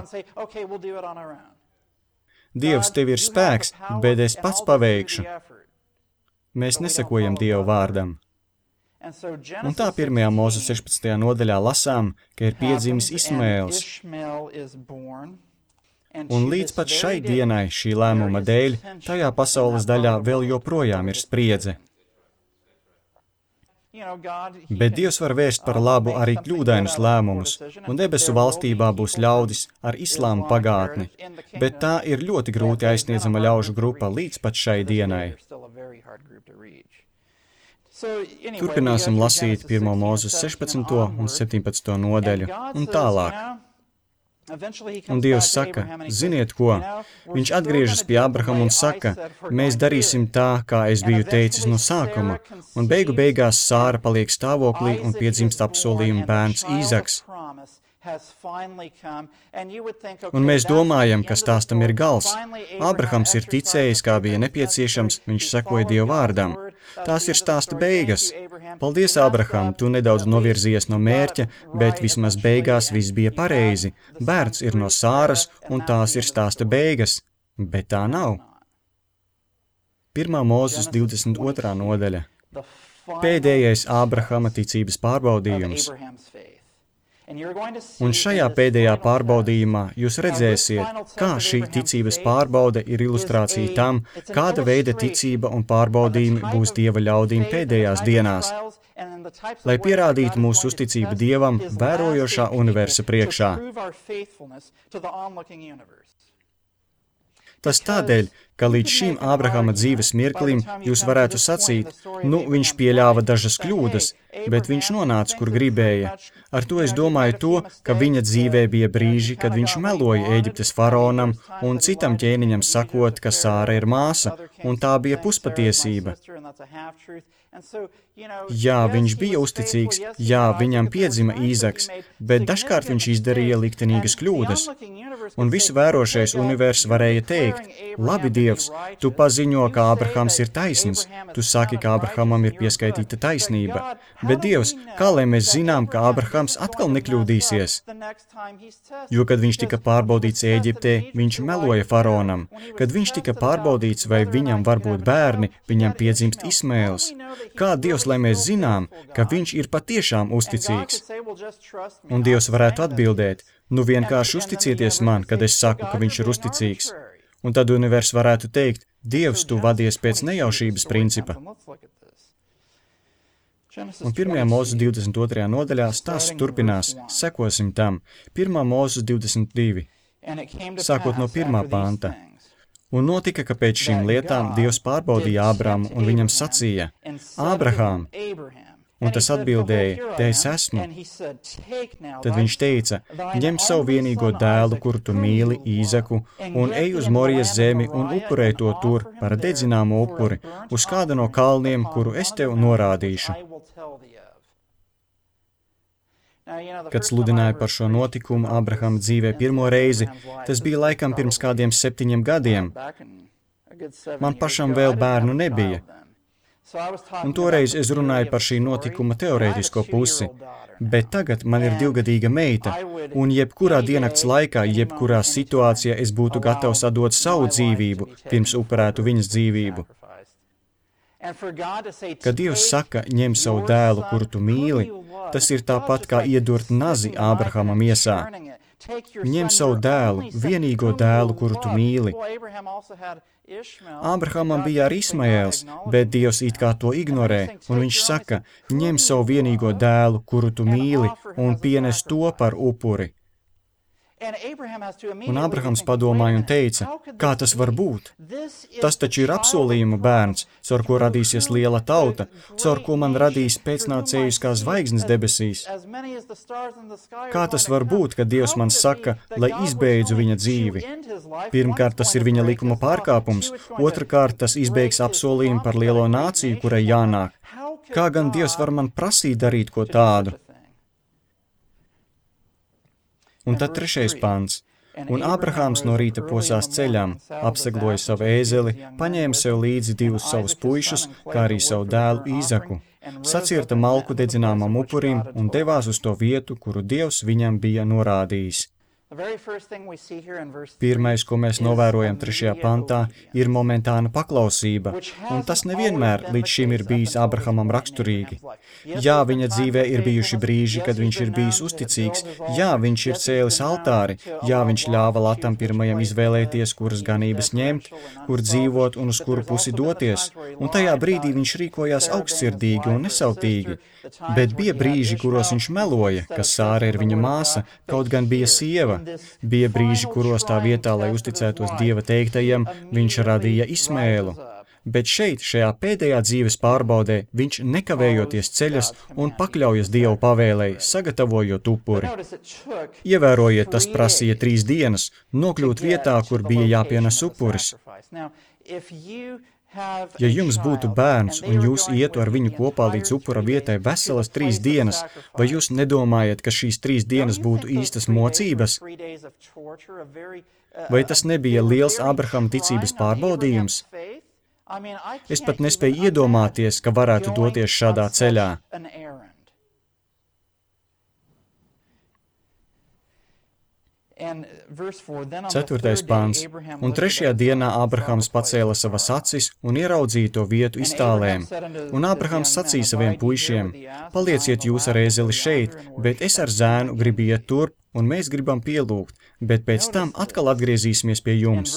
Dievs, tev ir spēks, bet es pats paveikšu. Mēs nesakojam Dieva vārdam. Un tā pirmajā Mūzes sešpadsmitajā nodaļā lasām, ka ir piedzimis Ismaēls. Un līdz pat šai dienai šī lēmuma dēļ, tajā pasaules daļā vēl joprojām ir spriedze. Bet Dievs var vērst par labu arī kļūdainus lēmumus, un debesu valstībā būs ļaudis ar islāma pagātni, bet tā ir ļoti grūti aizsniedzama ļaužu grupa līdz pat šai dienai. Turpināsim lasīt pirmo Mūzes sešpadsmito un septiņpadsmito nodaļu, un tālāk. Un Dievs saka, ziniet ko? Viņš atgriežas pie Ābrahama un saka, mēs darīsim tā, kā es biju teicis no sākuma, un beigu beigās Sāra paliek stāvoklī un piedzimst apsolījuma bērns Īzaks. Un mēs domājam, ka stāstam ir gals. Ābrahams ir ticējis, kā bija nepieciešams, viņš sekoja Dieva vārdam. Tās ir stāsta beigas. Paldies, Ābraham, tu nedaudz novirzies no mērķa, bet vismaz beigās viss bija pareizi. Bērns ir no Sāras, un tās ir stāsta beigas. Bet tā nav. Pirmā Mūzes divdesmit otrā nodaļa. Pēdējais Ābrahama ticības pārbaudījums. Un šajā pēdējā pārbaudījumā jūs redzēsiet, kā šī ticības pārbaude ir ilustrācija tam, kāda veida ticība un pārbaudījumi būs Dieva ļaudīm pēdējās dienās, lai pierādītu mūsu uzticību Dievam vērojošā universa priekšā. Tas tādēļ, ka līdz šim Ābrahama dzīves mirklim jūs varētu sacīt, nu, viņš pieļāva dažas kļūdas, bet viņš nonāca, kur gribēja. Ar to es domāju to, ka viņa dzīvē bija brīži, kad viņš meloja Ēģiptes faraonam un citam ķēniņam sakot, ka Sāra ir māsa, un tā bija puspatiesība. Jā, viņš bija uzticīgs, jā, viņam piedzima Īzaks, bet dažkārt viņš izdarīja liktenīgas kļūdas. Un visu vērošais univers varēja teikt, labi, Dievs, tu paziņo, ka Ābrahams ir taisns, tu saki, ka Ābrahamam ir pieskaitīta taisnība, bet Dievs, kā lai mēs zinām, ka Ābrahams atkal nekļūdīsies? Jo, kad viņš tika pārbaudīts Ēģiptē, viņš meloja faraonam. Kad viņš tika pārbaudīts, vai viņam var būt bērni, viņam piedzimst Ismaēls. Kā Dievs, lai mēs zinām, ka viņš ir patiešām uzticīgs? Un Dievs varētu atbildēt, nu vienkārši uzticieties man, kad es saku, ka viņš ir uzticīgs. Un tad univers varētu teikt, Dievs, tu vadies pēc nejaušības principa. Un pirmajā Mūzes divdesmit otrajā nodaļā stāsts turpinās, sekosim tam. Pirmā Mūzes divdesmit divi, sākot no pirmā panta. Un notika, ka pēc šīm lietām Dievs pārbaudīja Ābramu un viņam sacīja, Ābrahām, Un tas atbildēja, te es esmu. Tad viņš teica, ņem savu vienīgo dēlu, kuru tu mīli, Īzaku, un ej uz Morijas zemi un upurē to tur par dedzināmo upuri, uz kāda no kalniem, kuru es tev norādīšu. Kad sludināja par šo notikumu Abrahama dzīvē pirmo reizi, tas bija laikam pirms kādiem septiņiem gadiem. Man pašam vēl bērnu nebija. Un toreiz es runāju par šī notikuma teorētisko pusi, bet tagad man ir divgadīga meita, un jebkurā diennakts laikā, jebkurā situācijā es būtu gatavs atdot savu dzīvību, pirms upurētu viņas dzīvību. Kad Dievs saka, ņem savu dēlu, kuru tu mīli, tas ir tāpat kā iedurt nazi Ābrahama miesā. Ņem savu dēlu, vienīgo dēlu, kuru tu mīli. Ābrahamam bija arī Ismaēls, bet Dievs it kā to ignorē, un viņš saka, ņem savu vienīgo dēlu, kuru tu mīli, un pienes to par upuri. Un Ābrahams padomāja un teica, kā tas var būt? Tas taču ir apsolījuma bērns, caur ko radīsies liela tauta, caur ko man radīs pēcnācējus kā zvaigznes debesīs. Kā tas var būt, ka Dievs man saka, lai izbeidzu viņa dzīvi? Pirmkārt, tas ir viņa likuma pārkāpums, otrkārt, tas izbeigs apsolījumu par lielo nāciju, kurai jānāk. Kā gan Dievs var man prasīt darīt ko tādu? Un tad trešais pants. Un Ābrahāms no rīta posās ceļām, apsegloja savu ēzeli, paņēma sev līdzi divus savus puišus, kā arī savu dēlu Īzaku, sacirta malku dedzināmam upurim un devās uz to vietu, kuru Dievs viņam bija norādījis. Pirmais, ko mēs novērojam trešajā pantā, ir momentāna paklausība, un tas nevienmēr līdz šim ir bijis Ābrahamam raksturīgi. Jā, viņa dzīvē ir bijuši brīži, kad viņš ir bijis uzticīgs, jā, viņš ir cēlis altāri, jā, viņš ļāva Latam pirmajam izvēlēties, kuras ganības ņemt, kur dzīvot un uz kuru pusi doties, un tajā brīdī viņš rīkojās augstsirdīgi un nesautīgi. Bet bija brīži, kuros viņš meloja, ka Sāra ir viņa māsa, kaut gan bija sieva. Bija brīži, kuros tā vietā, lai uzticētos Dieva teiktajam, viņš radīja Ismaēlu. Bet šeit, šajā pēdējā dzīves pārbaudē, viņš nekavējoties ceļas un pakļaujas Dieva pavēlei, sagatavojot upuri. Ievērojiet, tas prasīja trīs dienas, nokļūt vietā, kur bija jāpienes upuris. Ja jums būtu bērns un jūs ietu ar viņu kopā līdz upura vietai veselas trīs dienas, vai jūs nedomājat, ka šīs trīs dienas būtu īstas mocības? Vai tas nebija liels Ābrahama ticības pārbaudījums? Es pat nespēju iedomāties, ka varētu doties šādā ceļā. Ceturtais pāns. Un trešajā dienā Ābrahams pacēla savas acis un ieraudzīja to vietu iztālēm. Un Ābrahams sacīja saviem puišiem, palieciet jūs ar ēzeli šeit, bet es ar zēnu gribu iet turp, un mēs gribam pielūgt, bet pēc tam atkal atgriezīsimies pie jums.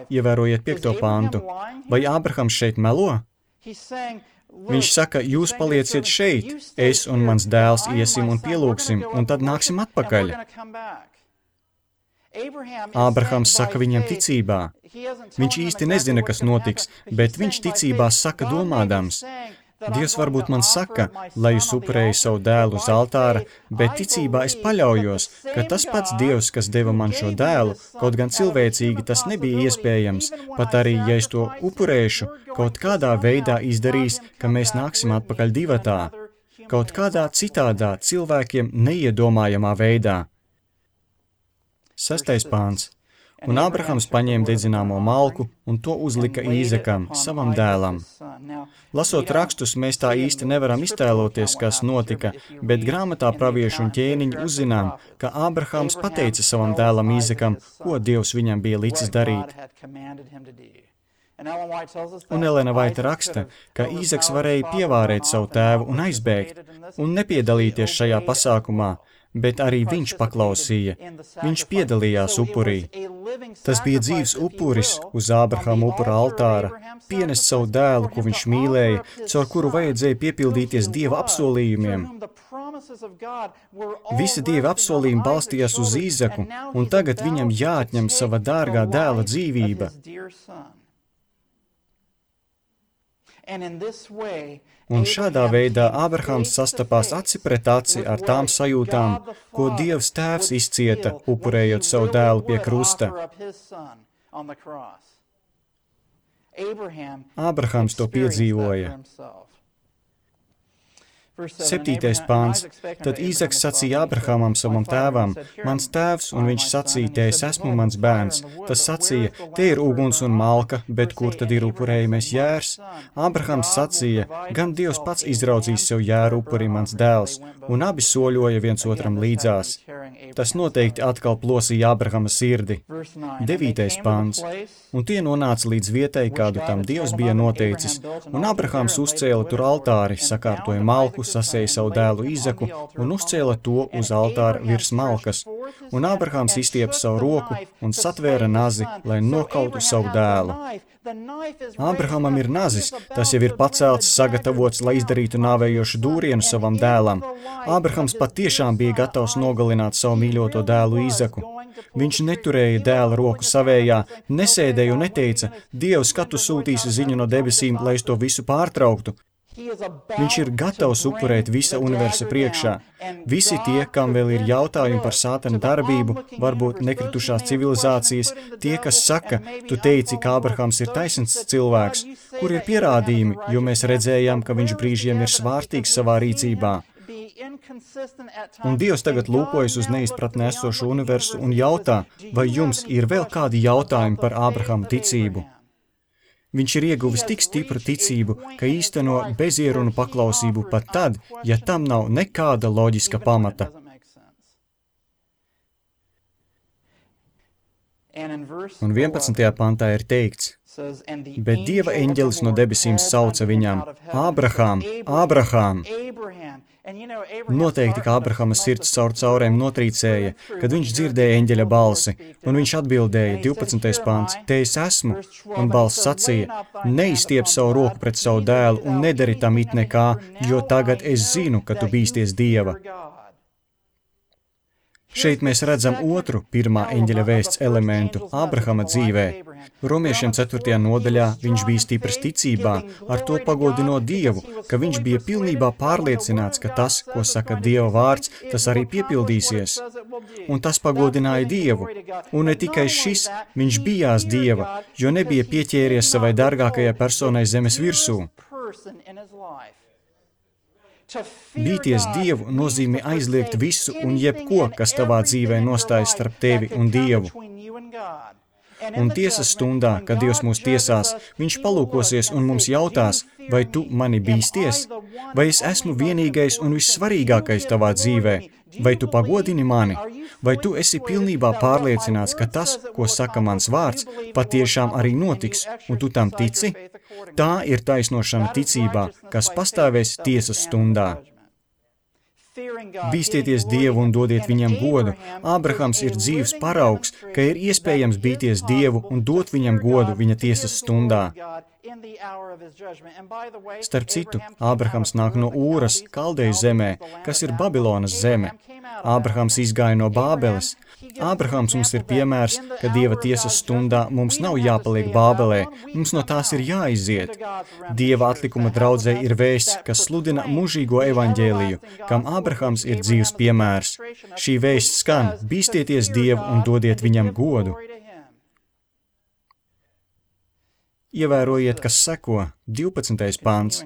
Ievērojiet piekto pāntu. Vai Ābrahams šeit melo? Viņš saka, jūs palieciet šeit, es un mans dēls iesim un pielūgsim, un tad nāksim atpakaļ. Ābrahams saka viņam ticībā. Viņš īsti nezina, kas notiks, bet viņš ticībā saka domādams. Dievs varbūt man saka, lai es upurēju savu dēlu uz altāra, bet ticībā es paļaujos, ka tas pats Dievs, kas deva man šo dēlu, kaut gan cilvēcīgi tas nebija iespējams, pat arī, ja es to upurēšu, kaut kādā veidā izdarīs, ka mēs nāksim atpakaļ divatā, kaut kādā citādā cilvēkiem neiedomājamā veidā. Sestais pāns. Un Ābrahams paņēma dedzināmo malku un to uzlika Īzakam, savam dēlam. Lasot rakstus, mēs tā īsti nevaram iztēloties, kas notika, bet grāmatā praviešu un ķēniņi uzzinām, ka Ābrahams pateica savam dēlam Īzakam, ko Dievs viņam bija licis darīt. Un Elena Vaita raksta, ka Īzaks varēja pievārēt savu tēvu un aizbēgt, un nepiedalīties šajā pasākumā, bet arī viņš paklausīja. Viņš piedalījās upurī. Tas bija dzīvs upuris uz Ābrahama upura altāra, pienest savu dēlu, ko viņš mīlēja, caur kuru vajadzēja piepildīties Dieva apsolījumiem. Visi Dieva apsolījumi balstījās uz Īzaku, un tagad viņam jāatņem sava dārgā dēla dzīvība. Un šādā veidā Ābrahams sastapās aci pret aci ar tām sajūtām, ko Dievs tēvs izcieta, upurējot savu dēlu pie krusta. Ābrahams to piedzīvoja. Septītais pāns. Tad Īzaks sacīja Ābrahamam savam tēvam, mans tēvs, un viņš sacīja, te es esmu mans bērns. Tas sacīja, te ir uguns un malka, bet kur tad ir upurējumais jērs? Ābrahams sacīja, gan Dievs pats izraudzīs sev jēru upuri mans dēls, un abi soļoja viens otram līdzās. Tas noteikti atkal plosīja Ābrahama sirdi. Devītais pāns. Un tie nonāca līdz vietai, kādu tam Dievs bija noteicis, un Ābrahams uzcēla tur altāri, sakārtoja malku, sasēja savu dēlu Īzaku un uzcēla to uz altāra virs malkas. Un Ābrahams izstiepa savu roku un satvēra nazi, lai nokautu savu dēlu. Ābrahamam ir nazis, tas jau ir pacelts, sagatavots, lai izdarītu nāvējošu dūrienu savam dēlam. Ābrahams patiešām bija gatavs nogalināt savu mīļoto dēlu Īzaku. Viņš neturēja dēla roku savējā, nesēdēja un neteica, Dievs, kad tu sūtīsi ziņu no debesīm, lai es to visu pārtrauktu. Viņš ir gatavs upurēt visa universa priekšā. Visi tie, kam vēl ir jautājumi par sātana darbību, varbūt nekritušās civilizācijas, tie, kas saka, tu teici, ka Ābrahams ir taisns cilvēks, kur ir pierādījumi, jo mēs redzējām, ka viņš brīžiem ir svārtīgs savā rīcībā. Un Dievs tagad lūkojas uz neizpratnē esošo universu un jautā, vai jums ir vēl kādi jautājumi par Ābrahama ticību? Viņš ir ieguvis tik stipru ticību, ka īsteno bezierunu paklausību pat tad, ja tam nav nekāda loģiska pamata. Un vienpadsmitajā pantā ir teikts, bet Dieva eņģelis no debesīm sauca viņam, Ābrahām, Ābrahām. Noteikti, ka Ābrahama sirds caur caurēm notrīcēja, kad viņš dzirdēja eņģeļa balsi, un viņš atbildēja, divpadsmitais pants, te es esmu, un balss sacīja, neizstiep savu roku pret savu dēlu un nedari tam it nekā, jo tagad es zinu, ka tu bīsties Dieva. Šeit mēs redzam otru pirmā eņģeļa vēsts elementu Ābrahama dzīvē. Romiešiem ceturtajā nodaļā viņš bija stiprs ticībā, ar to pagodinot Dievu, ka viņš bija pilnībā pārliecināts, ka tas, ko saka Dieva vārds, tas arī piepildīsies. Un tas pagodināja Dievu. Un ne tikai šis, viņš bijās Dieva, jo nebija pieķēries savai dārgākajai personai zemes virsū. Bīties Dievu nozīmē aizliegt visu un jebko, kas tavā dzīvē nostājas starp tevi un Dievu. Un tiesas stundā, kad Dievs mūs tiesās, viņš palūkosies un mums jautās, vai tu mani bīsties? Vai es esmu vienīgais un vissvarīgākais tavā dzīvē? Vai tu pagodini mani? Vai tu esi pilnībā pārliecināts, ka tas, ko saka mans vārds, patiešām arī notiks, un tu tam tici? Tā ir taisnošana ticībā, kas pastāvēs tiesas stundā. Bīstieties Dievu un dodiet viņam godu. Ābrahams ir dzīves paraugs, ka ir iespējams bīties Dievu un dot viņam godu viņa tiesas stundā. Starp citu, Ābrahams nāk no Ūras, Kaldeju zemē, kas ir Babilonas zeme. Ābrahams izgāja no Bābeles. Ābrahams mums ir piemērs, ka Dieva tiesas stundā mums nav jāpaliek Bābelē, mums no tās ir jāiziet. Dieva atlikuma draudzē ir vēsts, kas sludina mūžīgo evaņģēliju, kam Ābrahams ir dzīves piemērs. Šī vēsts skan, bīstieties Dievu un dodiet viņam godu. Ievērojiet, kas seko, divpadsmitais pants.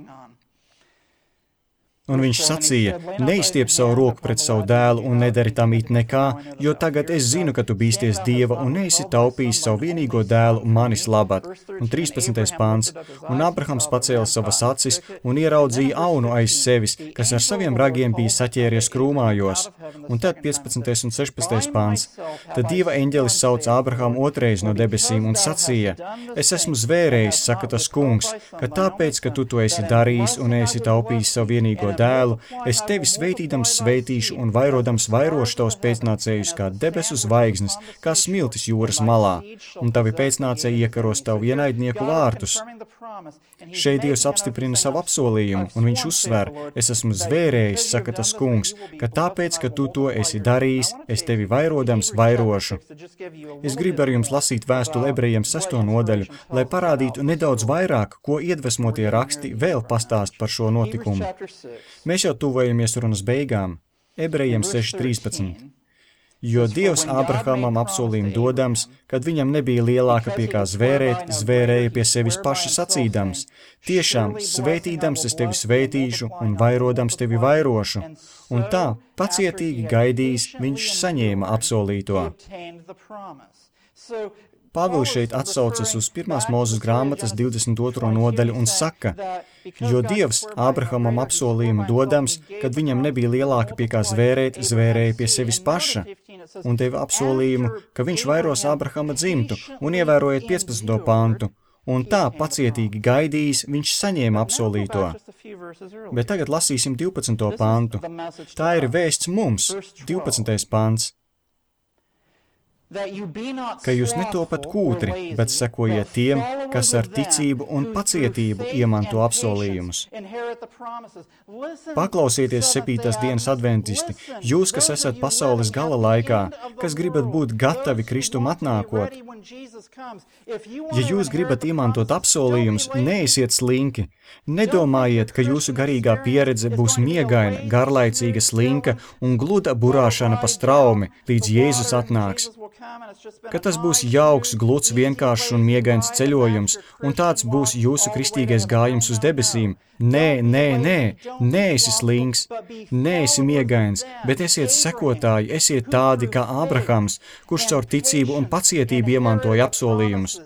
Un viņš sacīja, neizstiep savu roku pret savu dēlu un nedari tam it nekā, jo tagad es zinu, ka tu bīsties Dieva un neesi taupījis savu vienīgo dēlu manis labad. Un trīspadsmitais pāns. Un Ābrahams pacēla savas acis un ieraudzīja aunu aiz sevis, kas ar saviem ragiem bija saķēries krūmājos. Un tad piecpadsmitais un sešpadsmitais pāns. Tad Dieva eņģelis sauca Ābrahamu otrais no debesīm un sacīja, es esmu zvērējis, saka tas kungs, ka tāpēc, ka tu to esi darījis un esi taupījis savu vienīgo dēlu, es tevi sveitīdams sveitīšu un vairodams vairošu tavus pēcnācējus kā debesu zvaigznes, kā smiltis jūras malā, un tavi pēcnācēji iekaros tavu ienaidnieku vārtus. Šeit Dievs apstiprina savu apsolījumu, un viņš uzsver, es esmu zvērējis, saka tas kungs, ka tāpēc, ka tu to esi darījis, es tevi vairodams vairošu. Es gribu ar jums lasīt vēstuli ebrejiem sesto nodaļu, lai parādītu nedaudz vairāk, ko iedvesmotie raksti vēl pastāst par šo notikumu. Mēs jau tuvojamies runas beigām. Ebrejiem seši trīspadsmit. Jo Dievs Ābrahamam apsolījumu dodams, kad viņam nebija lielāka pie kā zvērēt, zvērēja pie sevis paši sacīdams. Tiešām, svētīdams es tevi svētīšu un vairodams tevi vairošu. Un tā, pacietīgi gaidījis, viņš saņēma apsolīto. Pāvils šeit atsaucas uz pirmās Mūzes grāmatas divdesmit otro nodaļu un saka, jo Dievs Ābrahamam apsolījumu dodams, kad viņam nebija lielāka pie kā zvērēt, zvērēja pie sevis paša, un tevi apsolījumu, ka viņš vairos Ābrahama dzimtu, un ievērojiet piecpadsmito pantu, un tā pacietīgi gaidījis, viņš saņēma apsolīto. Bet tagad lasīsim divpadsmito pantu. Tā ir vēsts mums, divpadsmitais pants. Ka jūs netopat kūtri, bet sekojiet tiem, kas ar ticību un pacietību iemanto apsolījumus. Paklausieties septītās dienas adventisti, jūs, kas esat pasaules gala laikā, kas gribat būt gatavi Kristum atnākot. Ja jūs gribat iemantot apsolījumus, neesiet slinki. Nedomājiet, ka jūsu garīgā pieredze būs miegaina, garlaicīga, slinka un gluda burāšana pa straumi, līdz Jēzus atnāks. Ka tas būs jauks, gluds, vienkāršs un miegains ceļojums, un tāds būs jūsu kristīgais gājums uz debesīm. Nē, nē, nē, neesi slinks, neesi miegains, bet esiet sekotāji, esiet tādi kā Ābrahams, kurš caur ticību un pacietību iemantoja apsolījumus.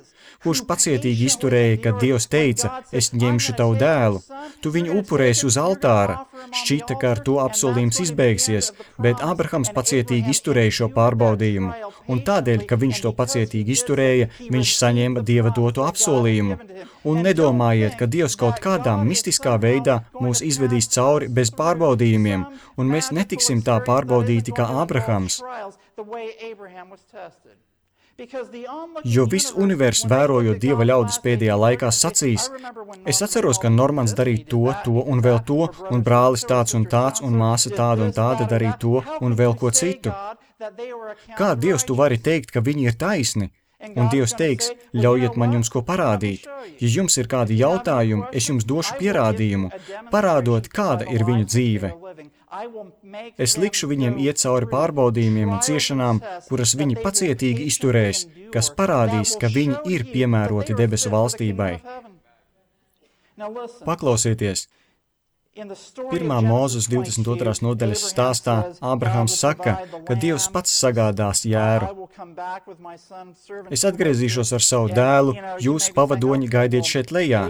Kurš pacietīgi izturēja, kad Dievs teica, es ņemšu tavu dēlu, tu viņu upurēsi uz altāra. Šķita, ka ar to apsolījums izbeigsies, bet Ābrahams pacietīgi izturēja šo pārbaudījumu, un tādēļ, ka viņš to pacietīgi izturēja, viņš saņēma Dieva doto apsolījumu. Un nedomājiet, ka Dievs kaut kādā mistiskā veidā mūs izvedīs cauri bez pārbaudījumiem, un mēs netiksim tā pārbaudīti kā Ābrahams. Jo viss universs, vērojot Dieva ļaudis pēdējā laikā, sacīs, es atceros, ka Normans darīja to, to un vēl to, un brālis tāds un tāds, un māsa tāda un tāda darīja to un vēl ko citu. Kā Dievs tu vari teikt, ka viņi ir taisni? Un Dievs teiks, ļaujiet man jums ko parādīt. Ja jums ir kādi jautājumi, es jums došu pierādījumu, parādot, kāda ir viņu dzīve. Es likšu viņiem iet cauri pārbaudījumiem un ciešanām, kuras viņi pacietīgi izturēs, kas parādīs, ka viņi ir piemēroti debesu valstībai. Paklausieties! Pirmā Mūzes divdesmit otrās nodaļas stāstā Ābrahams saka, ka Dievs pats sagādās jēru. Es atgriezīšos ar savu dēlu, jūs pavadoņi gaidiet šeit lejā.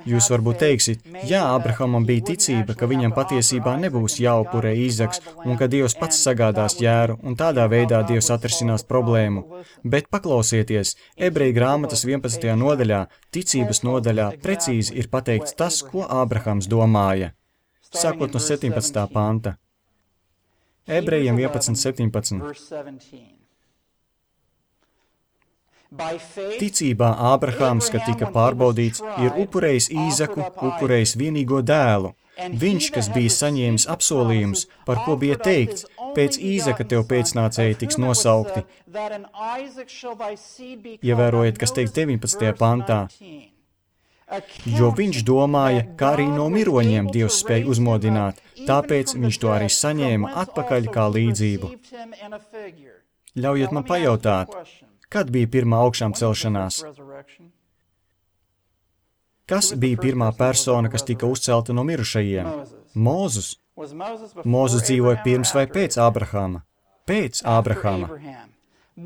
Jūs varbūt teiksiet, jā, Ābrahamam bija ticība, ka viņam patiesībā nebūs jāupurē Īzaks un ka Dievs pats sagādās jēru un tādā veidā Dievs atrisinās problēmu. Bet paklausieties, Ebreju grāmatas vienpadsmitajā nodaļā, ticības nodaļā, precīzi ir pateikts tas, ko Ābrahams domāja. Sākot no septiņpadsmitā panta. Ebrejiem vienpadsmit septiņpadsmit. Ticībā Ābrahams, kad tika pārbaudīts, ir upurējis Īzaku, upurējis vienīgo dēlu. Viņš, kas bija saņēmis apsolījums, par ko bija teikts, pēc Īzaka tev pēcnācēji tiks nosaukti. Ievērojiet, kas teikt deviņpadsmitajā pantā. Jo viņš domāja, kā arī no miroņiem Dievs spēj uzmodināt, tāpēc viņš to arī saņēma atpakaļ kā līdzību. Ļaujiet man pajautāt, kad bija pirmā augšām celšanās? Kas bija pirmā persona, kas tika uzcelta no mirušajiem? Mūzes. Mūzes dzīvoja pirms vai pēc Ābrahama? Pēc Ābrahama.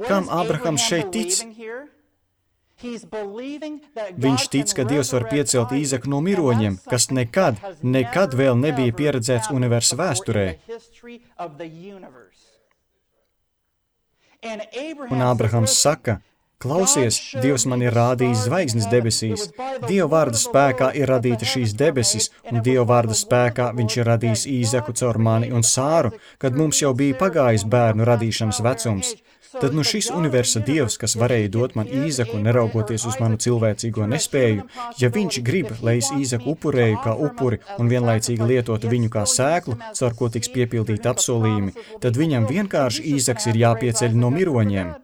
Kam Ābrahams šeit tic? Viņš tic, ka Dievs var piecelt Īzaku no miroņiem, kas nekad, nekad vēl nebija pieredzēts universa vēsturē. Un Ābrahams saka, Klausies, Dievs man ir rādījis zvaigznes debesīs. Dieva vārda spēkā ir radīta šīs debesis, un Dieva vārda spēkā viņš ir radījis Īzaku caur mani un Sāru, kad mums jau bija pagājis bērnu radīšanas vecums. Tad nu šis universa Dievs, kas varēja dot man Īzaku, neraugoties uz manu cilvēcīgo nespēju, ja viņš grib, lai es Īzaku upurēju kā upuri un vienlaicīgi lietotu viņu kā sēklu, caur ko tiks piepildīti apsolījumi, tad viņam vienkārši Īzaks ir jāpieceļ no miroņiem.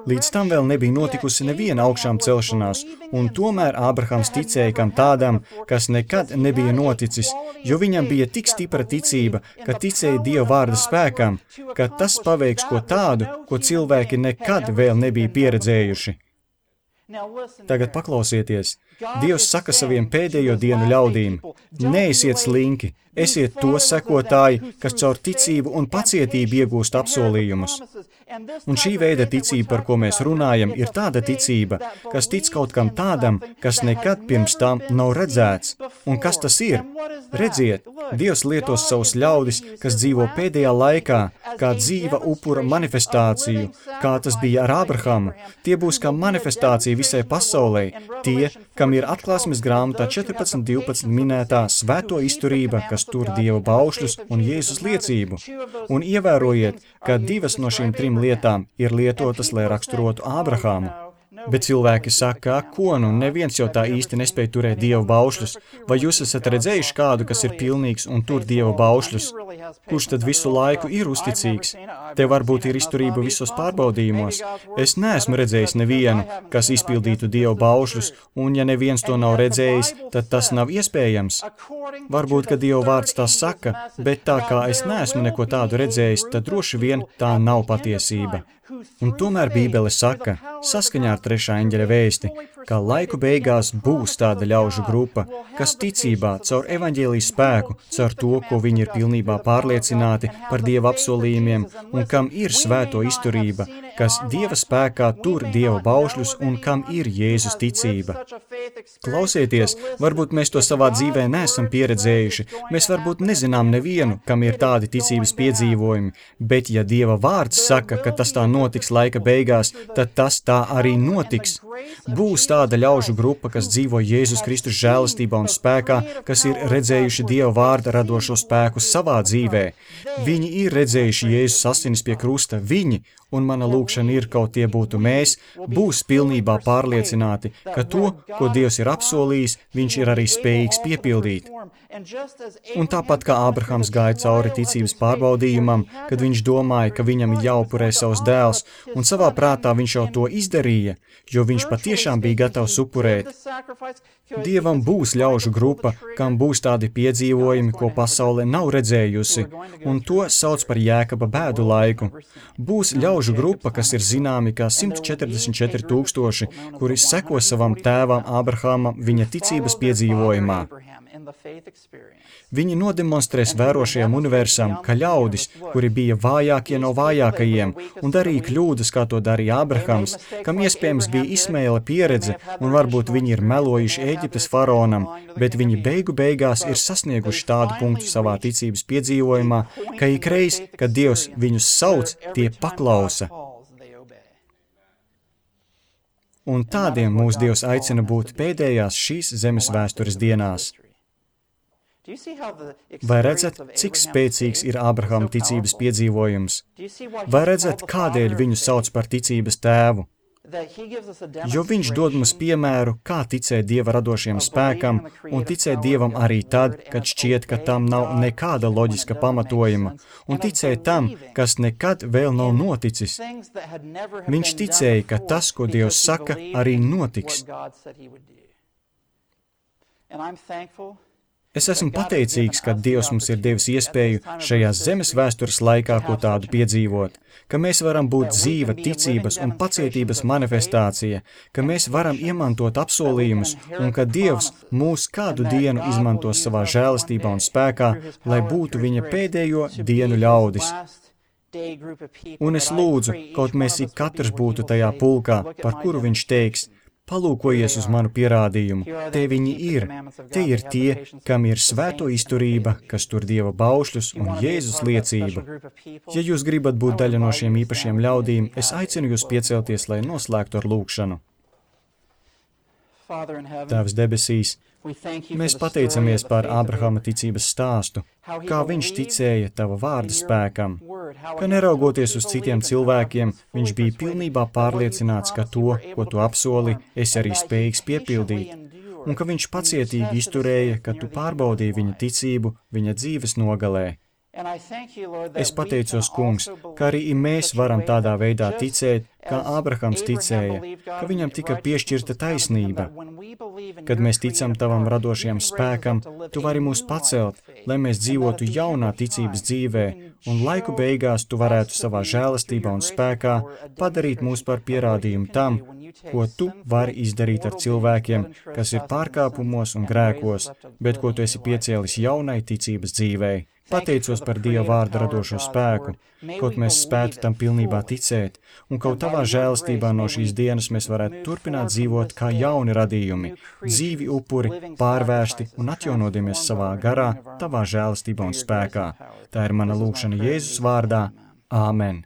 Līdz tam vēl nebija notikusi neviena augšām celšanās, un tomēr Ābrahams ticēja kam tādam, kas nekad nebija noticis, jo viņam bija tik stipra ticība, ka ticēja Dieva vārda spēkam, ka tas paveiks ko tādu, ko cilvēki nekad vēl nebija pieredzējuši. Tagad paklausieties. Dievs saka saviem pēdējo dienu ļaudīm: neesiet slinki, esiet to sekotāji, kas caur ticību un pacietību iegūst apsolījumus. Un šī veida ticība, par ko mēs runājam, ir tāda ticība, kas tic kaut kam tādam, kas nekad pirms tam nav redzēts. Un kas tas ir? Redziet, Dievs lietos savus ļaudis, kas dzīvo pēdējā laikā, kā dzīva upura manifestāciju, kā tas bija ar Ābrahamu. Tie būs kā manifestācija visai pasaulē, tie, kam ir atklāsmes grāmatā četrpadsmit divpadsmit minētā svēto izturība, kas tur Dieva baušļus un Jēzus liecību. Un ievērojiet, ka divas no šīm trim lietām ir lietotas, lai raksturotu Ābrahāmu. Bet cilvēki saka, ko nu, neviens jau tā īsti nespēja turēt Dieva baušļus. Vai jūs esat redzējuši kādu, kas ir pilnīgs un tur Dieva baušļus? Kurš tad visu laiku ir uzticīgs? Te varbūt ir izturība visos pārbaudījumos. Es neesmu redzējis nevienu, kas izpildītu Dieva baušļus, un ja neviens to nav redzējis, tad tas nav iespējams. Varbūt, ka Dieva vārds tā saka, bet tā kā es neesmu neko tādu redzējis, tad droši vien tā nav patiesība. Un tomēr Bībele saka, saskaņā ar trešā eņģeļa vēsti, ka laiku beigās būs tāda ļaužu grupa, kas ticībā, caur evaņģēlijas spēku, caur to, ko viņi ir pilnībā pārliecināti par Dieva apsolījumiem un kam ir svēto izturība, kas Dieva spēkā tur Dieva baušļus un kam ir Jēzus ticība. Klausieties, varbūt mēs to savā dzīvē neesam pieredzējuši, mēs varbūt nezinām nevienu, kam ir tādi ticības piedzīvojumi, bet ja Dieva vārds saka, ka tas tā notiks laika beigās, tad tas tā arī notiks. Būs tāda ļaužu grupa, kas dzīvo Jēzus Kristus žēlastībā un spēkā, kas ir redzējuši Dieva vārda radošo spēku savā dzīvē. Viņi ir redzējuši Jēzus asinis pie krusta, viņi, un mana lūkšana ir, kaut tie būtu mēs, būs pilnībā pārliecināti, ka to, ko Dievs ir apsolījis, viņš ir arī spējīgs piepildīt. Un tāpat kā Ābrahams gāja cauri ticības pārbaudījumam, kad viņš domāja, ka viņam ir jāupurē savs dēls, un savā prātā viņš jau to izdarīja, jo viņš patiešām bija gatavs upurēt. Dievam būs ļaužu grupa, kam būs tādi piedzīvojumi, ko pasaule nav redzējusi, un to sauc par Jēkaba bēdu laiku. Būs ļaužu grupa, kas ir zināmi kā simt četrdesmit četri tūkstoši, kuri seko savam tēvam Ābrahamam viņa ticības piedzīvojumā. Viņi nodemonstrēs vērošajam universam, ka ļaudis, kuri bija vājākie no vājākajiem un darīja kļūdas, kā to darīja Ābrahams, kam iespējams bija Ismaēla pieredze un varbūt viņi ir melojuši Ēģiptes faraonam, bet viņi beigu beigās ir sasnieguši tādu punktu savā ticības piedzīvojumā, ka ikreiz, kad Dievs viņus sauc, tie paklausa. Un tādiem mūs Dievs aicina būt pēdējās šīs zemes vēstures dienās. Vai redzat, cik spēcīgs ir Ābrahama ticības piedzīvojums? Vai redzat, kādēļ viņu sauc par ticības tēvu? Jo viņš dod mums piemēru, kā ticēt Dieva radošiem spēkam un ticēt Dievam arī tad, kad šķiet, ka tam nav nekāda loģiska pamatojuma, un ticēt tam, kas nekad vēl nav noticis. Viņš ticēja, ka tas, ko Dievs saka, arī notiks. Es esmu pateicīgs, ka Dievs mums ir devis iespēju šajās zemes vēstures laikā ko tādu piedzīvot, ka mēs varam būt dzīva ticības un pacietības manifestācija, ka mēs varam iemantot apsolījumus un ka Dievs mūs kādu dienu izmantos savā žēlastībā un spēkā, lai būtu viņa pēdējo dienu ļaudis. Un es lūdzu, kaut mēs ik katrs būtu tajā pulkā, par kuru viņš teiks, Palūkojies uz manu pierādījumu, te viņi ir, te ir tie, kam ir svēto izturība, kas tur Dieva baušļus un Jēzus liecību. Ja jūs gribat būt daļa no šiem īpašiem ļaudīm, es aicinu jūs piecelties, lai noslēgtu ar lūkšanu. Tēvs debesīs, mēs pateicamies par Ābrahama ticības stāstu, kā viņš ticēja tava vārda spēkam, ka neraugoties uz citiem cilvēkiem, viņš bija pilnībā pārliecināts, ka to, ko tu apsoli, esi arī spējīgs piepildīt, un ka viņš pacietīgi izturēja, ka tu pārbaudīji viņa ticību viņa dzīves nogalē. Es pateicos, kungs, ka arī mēs varam tādā veidā ticēt, kā Ābrahams ticēja, ka viņam tika piešķirta taisnība. Kad mēs ticam tavam radošajam spēkam, tu vari mūs pacelt, lai mēs dzīvotu jaunā ticības dzīvē, un laiku beigās tu varētu savā žēlastībā un spēkā padarīt mūs par pierādījumu tam, ko tu vari izdarīt ar cilvēkiem, kas ir pārkāpumos un grēkos, bet ko tu esi piecēlis jaunai ticības dzīvei. Pateicos par Dieva vārda radošo spēku, kaut mēs spētu tam pilnībā ticēt, un kaut tavā žēlastībā no šīs dienas mēs varētu turpināt dzīvot kā jauni radījumi, dzīvi upuri, pārvērsti un atjaunodimies savā garā, tavā žēlastībā un spēkā. Tā ir mana lūkšana Jēzus vārdā. Āmen.